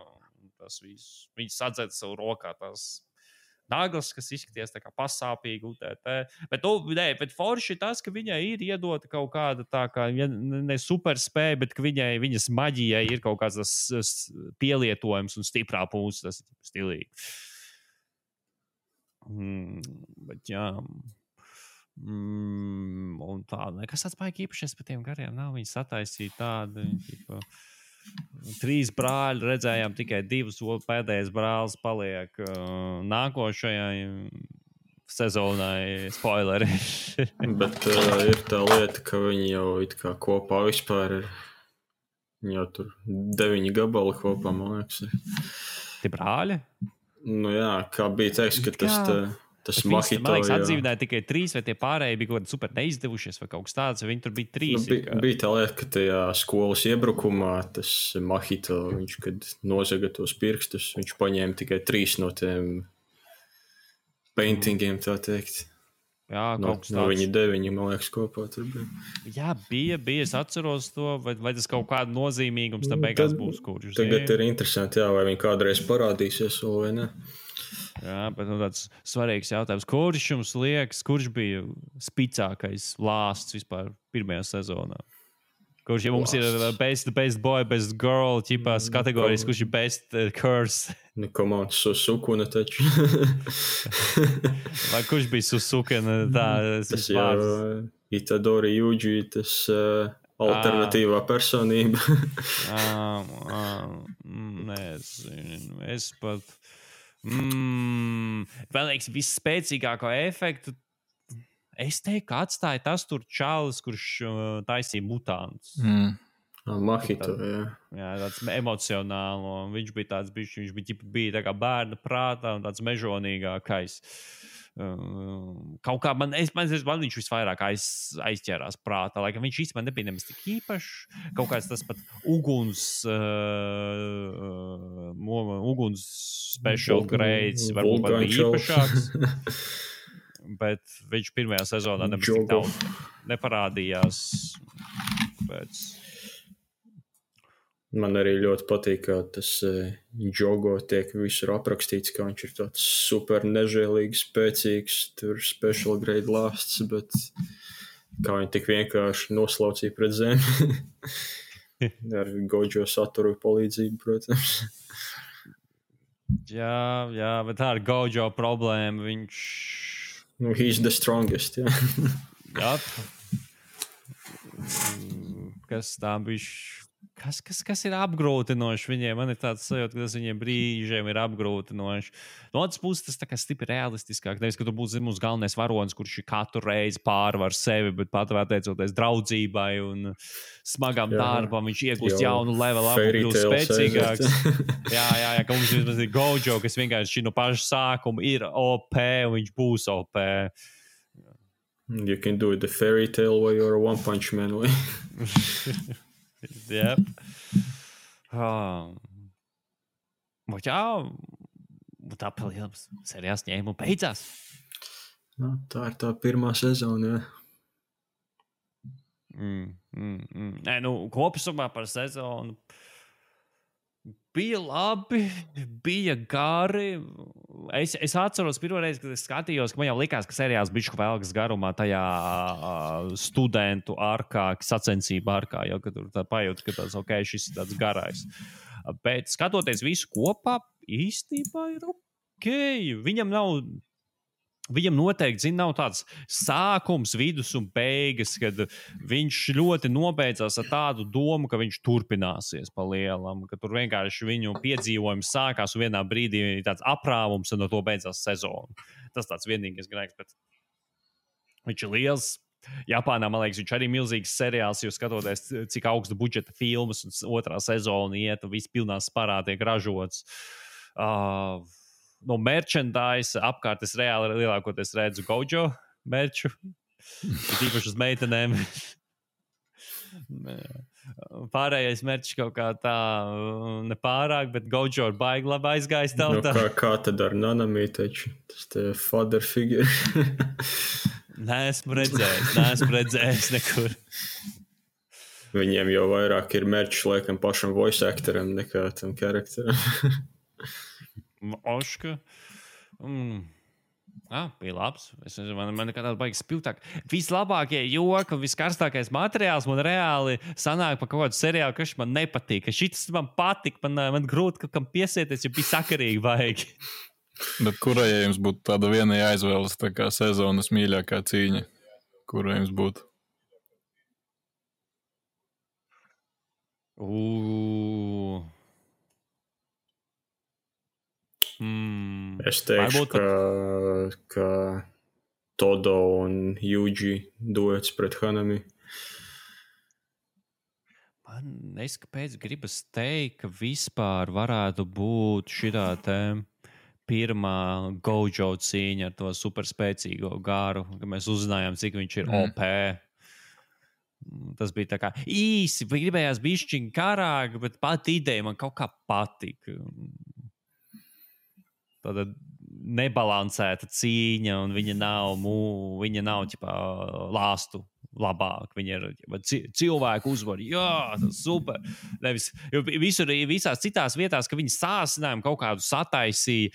Tas viss. Viņi sadzēta savu rokā tās naglas, kas izskaties tā kā pasāpīgi, bet forši ir tas, ka viņai ir iedota kaut kāda tā kā, ne superspēja, bet ka viņas maģijai ir kaut kāds tas pielietojums un stiprā pūs, tas ir stilīgi. Bet jā. Un tā, nekas tāds baigi īpašies par tiem gariem nav, viņi sataisīja tādu, ķipa, 3 brāļi, redzējām tikai 2, pēdējais brālis paliek nākošajai sezonai, spoileri. Bet ir tā lieta, ka viņi jau it kā kopā vispār ir, viņi jau tur 9 gabali kopā, man liekas. Tie brāļi? Nu jā, kā bija teiks, ka tas Mahito, man liekas, atdzīvināja tikai 3, vai tie pārējie bija kaut kādi super neizdevušies, vai kaut kas tāds, viņi tur bija 3. Bija tā lieta, ka tajā skolas iebrukumā tas Mahito, viņš, kad nozaga tos pirkstus, viņš paņēma tikai 3 no tiem paintingiem, tā teikt. Jā, kaut kas tāds. No viņi 9, man liekas, kopā tur bija. Jā, bija, es atceros to, vai tas kaut kādu nozīmīgums tā beigās būs, kurš. Tagad ir interesanti, jā, vai viņi kādreiz parādīsies, vai ne? Jā, bet tāds svarīgs jautājums. Kurš jums liekas, kurš bija spicākais lāsts vispār pirmajā sezonā? Kurš, ja mums ir best boy, best girl ķipās kategorijas, kurš ir best curse? Nu, komandas Susukuna taču. Vai kurš bija Susukuna? Tas jau Itadori Yuji, tas alternatīvā personība. Nezinu, es pat... Vēl liekas, visspēcīgāko efektu es teiktu, ka atstāja tas tur čalis, kurš taisīja mutantus. Mahito, jā. Jā, tāds emocionālo. Viņš bija tāds, viņš bija tā kā bērna prātā un tāds mežonīgākais. Kaut kā man viņš visvairāk aizķērās prātā, lai viņš īstenībā nebija nemaz tik īpašs. Kaut kāds tas pat uguns special grades varbūt pat bija īpašāks. Bet viņš pirmajā sezonā nemaz tik daudz neparādījās. Man arī ļoti patīk, ka tas Jogo tiek visur aprakstīts, ka viņš ir tāds super nežēlīgs, spēcīgs, tur special grade lāsts, bet kā viņi tik vienkārši noslaucīja pret zemi. Ar Gojo Satoru palīdzību, protams. Jā, bet tā ir Gojo problēma, viņš... Nu, he's the strongest, jā. Jā. Kas tā bišķi... Kas ir apgrūtinoši viņiem? Man ir tāds sajūta, ka tas viņiem brīžiem ir apgrūtinoši. No otras puses, tas tā kā stipri realistiskāk. Nevis, ka tu būsi mūsu galvenais varonis, kurš katru reizi pārvar sevi, bet pateicoties draudzībai un smagam darbam, viņš iegūst jaunu levelu, kļūst spēcīgāks. Jā, ka mums vismaz ir Gojo, kas vienkārši no paša sākuma ir OP un viņš būs OP. You can do the fairy tale way or a one punch man way. Yep. Jā, tā palielinās serijās ņēma un beidzās. Nu, tā ir tā pirmā sezona, jā. Nē, kopsumā par sezonu bija labi, bija gari. Es atceros pirmo reizi, kad es skatījos, ka man jau likās, ka seriāls bišķi velkas garumā tajā studentu arkā, sacensību arkā, jau kad tur tā pajūt, ka tāds, ok, šis ir tāds garais. Bet skatoties visu kopā, īstībā ir ok. Viņam noteikti, nav tāds sākums, vidus un beigas, kad viņš ļoti nobeidzās ar tādu domu, ka viņš turpināsies pa lielam, ka tur vienkārši viņu piedzīvojums sākās un vienā brīdī tāds aprāvums un no to beidzās sezonu. Tas tāds vienīgais grēks, bet viņš ir liels. Japānā, man liekas, viņš arī milzīgs seriāls, jo skatoties, cik augsta budžeta filmas un otrā sezona iet un viss pilnā sparā tiek ražots. no merchandise apkārt es reāli lielākoties redzu Gojo merču. Tīpaši uz meitenēm. Pārējais merčs kaut kā tā nepārāk, bet Gojo ir baigi labi aizgājis tautā. Kā tad ar Nanami taču? Tas te father figure. Neesmu redzējis nekur. Viņiem jau vairāk ir merčs laikam pašam voice actoram nekā tam karakteram. Oška. Bija labs. Man nekā tāda baigi spilgtāk. Vislabākie joki un viskarstākais materiāls man reāli sanāk par kaut kādu seriālu, kas man nepatīk. Šitas man patīk, man grūti kaut kam piesieties, jo bija sakarīgi vajag. Bet kurai jums būtu tāda viena jāizvēlas tā kā sezonas mīļākā cīņa? Kurai jums būtu? Es teikšu, ka Todo un Yuji duets pret Hanami. Man neskapēc gribas teikt, ka vispār varētu būt šitā pirmā Gojo cīņa ar to superspēcīgo garu, ka mēs uzzinājām, cik viņš ir OP. Tas bija tā kā īsi, gribējās bišķiņ karāk, bet pat ideja man kaut kā patika. Tāda nebalansēta cīņa, un viņa nav ķipā, lāstu labāk. Viņa ir cilvēku uzvar. Jā, tas super. Nevis, jo visās citās vietās, ka viņi sāsinājumu kaut kādu sataisīja,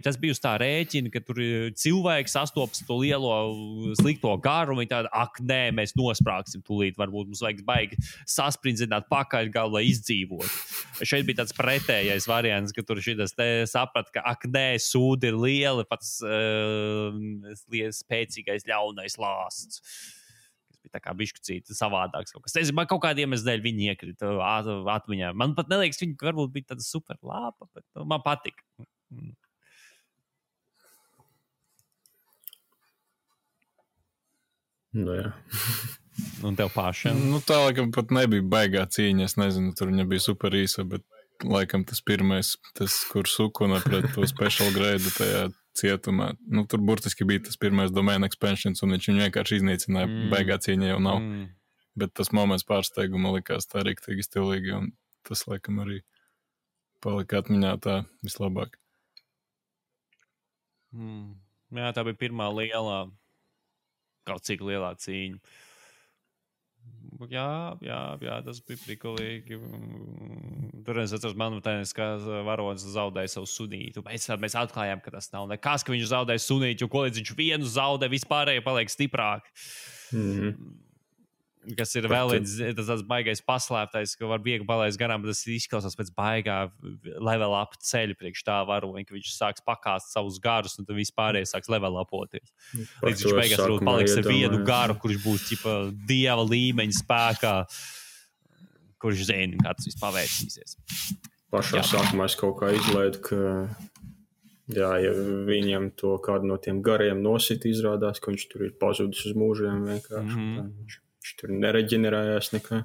tas bija uz tā rēķina, ka tur cilvēks sastopas to lielo slikto garu, un viņi tāda, nē, mēs nosprāksim tūlīt, varbūt mums vajag baigi sasprindzināt pakaļgalu, lai izdzīvot. Šeit bija tāds pretējais variants, ka tur šitas saprat, ka nē, sūdi ir lieli, pats spēcīgais ļaunais lāsts. Tā kā bišķucīti savādāks kaut kas. Es man kaut kādiem dēļ viņi iekrita atmiņā. Man pat neliekas, viņi varbūt bija tāda super lāpa, bet man patika. Nu jā. Un tev pašam? Nu tā laikam pat nebija baigā cīņa. Es nezinu, tur viņa bija super īsa, bet laikam tas pirmais, kur Sukuna pret to special grade tajā cietumā. Nu, tur burtiski bija tas pirmais domain expansions, un viņš viņu vienkārši iznīcināja. Baigā cīņa jau nav. Bet tas moments pārsteiguma likās tā riktīgi stilīgi, un tas, laikam, arī palika atmiņā tā vislabāk. Jā, tā bija pirmā lielā, kaut cik lielā cīņa. Jā, tas bija prikolīgi. Tur es atceros, manuprāt, ka varonis zaudēja savu sunītu. Mēs atklājām, ka tas nav nekas, ka viņš zaudēja sunītu, jo ko līdz viņš vienu zaudē, vispārējie paliek stiprāk. Kas ir vēl tāds baigais paslēptais, ka var viegli palaist garām, bet tas izklausās pēc baigā level up ceļu priekš tā varoņa, ka viņš sāks pakāst savus garus, un tad vispārējie sāks level upoties. Līdz viņš beigās varbūt paliks ar vienu garu, kurš būs ķipa dieva līmeņa spēkā, kurš zina, kā tas viss pavērsīsies. Pašā sākumā es kaut kā izlaidu, ka jā, ja viņam to kādu no tiem gariem nosit, izrādās, ka viņš tur ir pazudis uz mūžiem vienkārši. Viņš tur nereģenerējās nekā.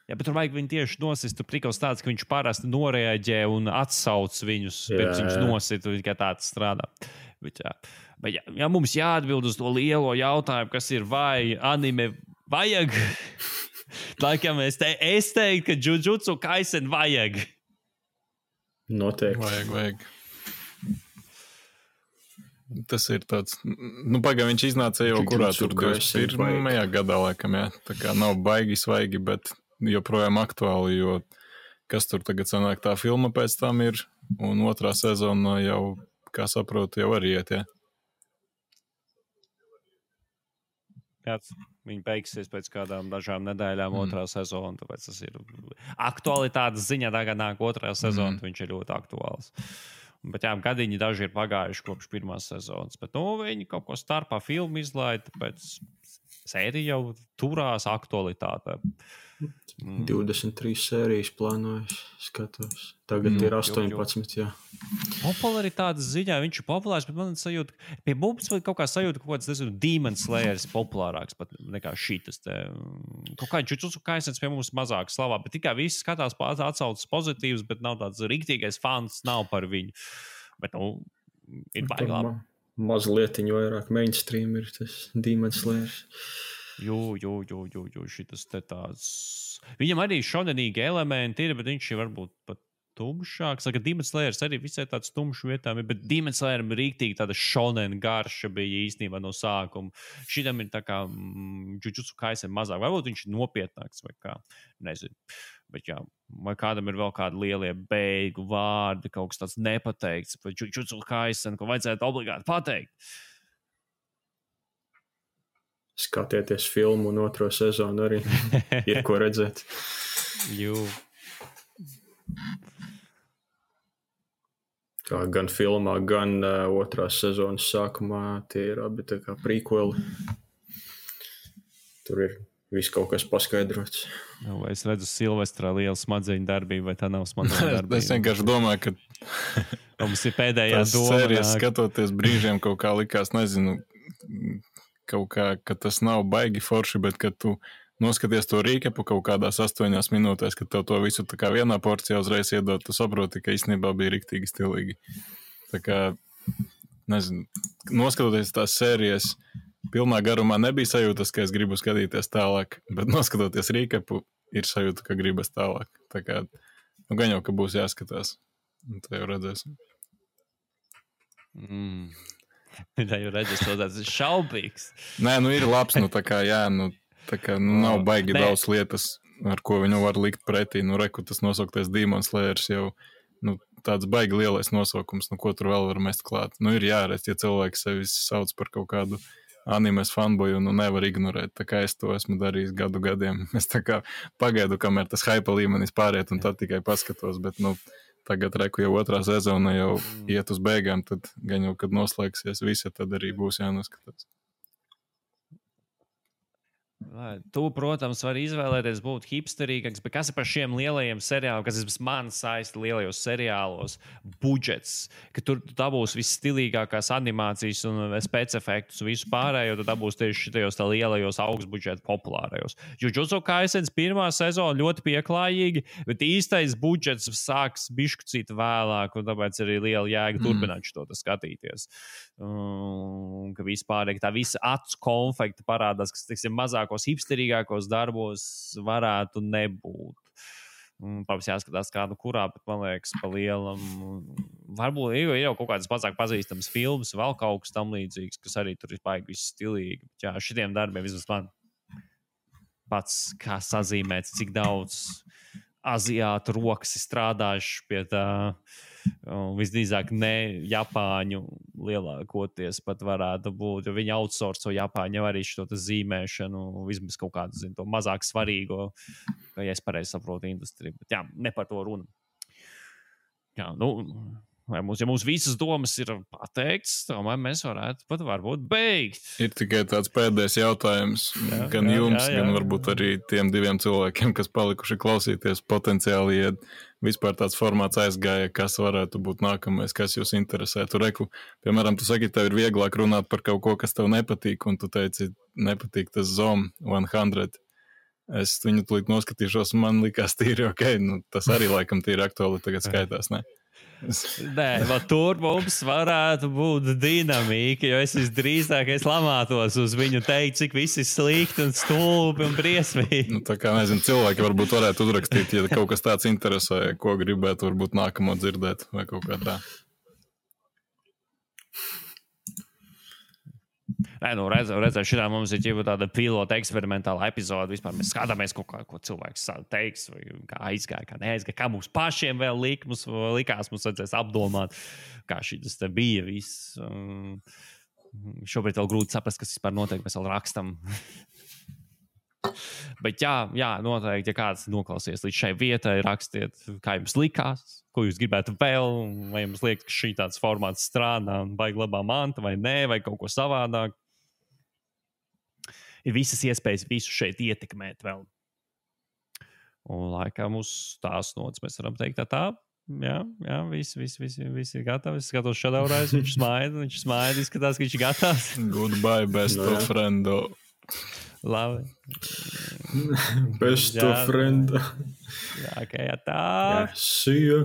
Jā, bet tur vajag viņu tieši nosist. Tur prikals tāds, ka viņš parasti noreaģē un atsauc viņus, pirms viņš nosit, kā tāds strādā. Bet jā, mums jāatbild uz to lielo jautājumu, kas ir, vai anime vajag? Laikam es teiktu, ka Jujutsu Kaisen vajag. Noteikti. Vajag. Tas ir tāds, pagaidām viņš iznāca jau kurā tur 21. gadā, laikam, jā. Tā kā nav baigi svaigi, bet joprojām aktuāli, jo kas tur tagad sanāk, tā filma pēc tam ir, un otrā sezona jau, kā saprotu, jau arī iet, jā. Viņi beigsies pēc kādām dažām nedēļām otrā sezona, tāpēc tas ir aktualitātes ziņā, tagad nāk otrā sezona, viņš ir ļoti aktuāls. Bet jā, gadiņi daži ir pagājuši kopš pirmās sezonas, bet viņi kaut ko starpā filmu izlaida, tāpēc sērija jau turās aktualitātē. 23 sērijas plānojas, skatos. Tagad ir 18, jā. Popularitātes ziņā viņš ir populārs, bet man sajūta, pie mums kaut kā sajūta kaut kāds, nezinu, Demon Slayers populārāks pat nekā šitas te. Kaut kā Jujutsu Kaisens pie mums mazāk slavā, bet tikai visi skatās atsaucas pozitīvs, bet nav tāds riktīgais fans, nav par viņu. Bet, ir baigi labi. Mazlietiņu vairāk mainstream ir tas Demon Slayers. Šitas te tāds. Viņam arī šonenīgi elementi ir, bet viņš ir varbūt pat tumšāks. Saka, Demon Slayers arī visai tāds tumšs vietām ir, bet Demon Slayeram rīktīgi tāda šonen garša bija īstenībā no sākuma. Šitam ir tā kā Jujutsu Kaisen mazāk. Varbūt viņš ir nopietnāks vai kā. Nezinu. Bet jā, vai kādam ir vēl kādi lielie beigu vārdi, kaut kas tāds nepateikts par Jujutsu Kaisen, ko vajadzētu obligāti pateikt. Skatieties filmu un 2. sezonu arī. Ir ko redzēt. Kā gan filmā, gan 2. sezonas sākumā tie ir abi tā kā prequeli. Tur ir viss kaut kas paskaidrots. Vai es redzu Silvestrā lielu smadzeņu darbību, vai tā nav smadzeņu darbība? Es vienkārši domāju, ka mums ir pēdējā doma. Sērijas skatoties brīžiem kaut kā likās, nezinu, kaut kā, ka tas nav baigi forši, bet kad tu noskaties to rīkepu kaut kādās 8 minūtēs, kad tev to visu tā kā vienā porcijā uzreiz iedod, tu saproti, ka īstenībā bija riktīgi stilīgi. Tā kā, nezinu, noskatoties tās sērijas, pilnā garumā nebija sajūtas, ka es gribu skatīties tālāk, bet noskatoties rīkepu, ir sajūta, ka gribas tālāk. Tā kā, gan jau, ka būs jāskatās. Un tā jau redzēsim. Tā jau redzēs, tāds šaubīgs. Nē, ir labs, tā kā, jā, nav baigi daudz lietas, ar ko viņu var likt pretī. Reku tas nosauktais Demon Slayers jau, tāds baigi lielais nosaukums, ko tur vēl var mest klāt. Ir jāredz, ja cilvēki sevi sauc par kaut kādu animes fanboju, nevar ignorēt. Tā kā es to esmu darījis gadiem. Es tā kā pagaidu, kamēr tas hype līmenis pāriet, un tad tikai paskatos, bet, tagad reku jau 2. sezona jau iet uz beigām, tad gan jau, kad noslēgsies visi, tad arī būs jānoskatās. Tu, protams, vari izvēlēties būt hipsterīgāks, bet kas ir par šiem lielajiem seriāliem, kas ir man saista lielajos seriālos, budžets, ka tur dabūs visstilīgākās animācijas un spēcefektus un visu pārējo, tad dabūs tieši šitajos tā lielajos augstbudžeta populārajos. Jujutsu Kaisens 1. sezona ļoti pieklājīgi, bet īstais budžets sāks bišķucīt vēlāk, un tāpēc arī liela jēga turpināt šo skatīties. Ka vispār tā visa acu konfekta parādās, kas, teiksim, mazākos, hipsterīgākos darbos varētu nebūt. Protams, jāskatās kādu kurā, bet man liekas, pa lielam. Varbūt ir jau kaut kādas mazāk pazīstamas filmas, vēl kaut kas tam līdzīgs, kas arī tur ir baigi viss stilīgi. Jā, šitiem darbiem vismaz man pats kā sazīmēts, cik daudz aziātu rokas ir strādājuši pie tā. Visdrīzāk ne Japāņu lielākoties pat varētu būt, jo viņi outsourco Japāņu arī šo zīmēšanu, vismaz kaut kādu to mazāk svarīgo, ja es pareizi saprotu industriju. Bet jā, ne par to runa. Jā, ja mums visas domas ir pateikts, tomēr mēs varētu pat varbūt beigt. Ir tikai tāds pēdējais jautājums gan jums, gan varbūt arī tiem 2 cilvēkiem, kas palikuši klausīties potenciāli, ja vispār tāds formāts aizgāja, kas varētu būt nākamais, kas jūs interesētu. Reku, piemēram, tu saki, tev ir vieglāk runāt par kaut ko, kas tev nepatīk, un tu teici, nepatīk tas Zom 100. Es viņu tūlīt noskatīšos, un man likās tīri ok, tas arī laikam tīri aktuāli tagad skaitās, ne? Nē, tur mums varētu būt dinamika, jo es visdrīzāk lamātos uz viņu teikt, cik viss ir slikti un stulbi un briesmīgi. Tā kā, nezinu, cilvēki varbūt varētu uzrakstīt, ja kaut kas tāds interesē, ko gribētu varbūt nākamo dzirdēt vai kaut kā tā. Nē, redzēt, šitā mums ir jau tāda pilota eksperimentāla epizode. Vispār mēs skatāmies kaut kā, ko cilvēks teiks, vai kā aizgāja, kā neaizgāja, kā mums pašiem vēl likās, mums vajadzēs apdomāt, kā šis te bija viss. Šobrīd vēl grūti saprast, kas vispār notiek, mēs vēl rakstam. Bet jā, noteikti, ja kāds noklausies līdz šai vietai, rakstiet, kā jums likās, ko jūs gribētu vēl, vai jums liekas, ka šī tāds formāts strādā un baigi labā manta, vai nē, vai kaut ko savādāk. Ir visas iespējas visu šeit ietekmēt vēl. Un laikam uz tās nots mēs varam teikt tā. Jā, viss ir gatavs. Es skatos šadaurājus, viņš smaida, izskatās, ka viņš ir gatavs. Goodbye, best of friendo. Labi. Best of friendo. Jā, tā. See you.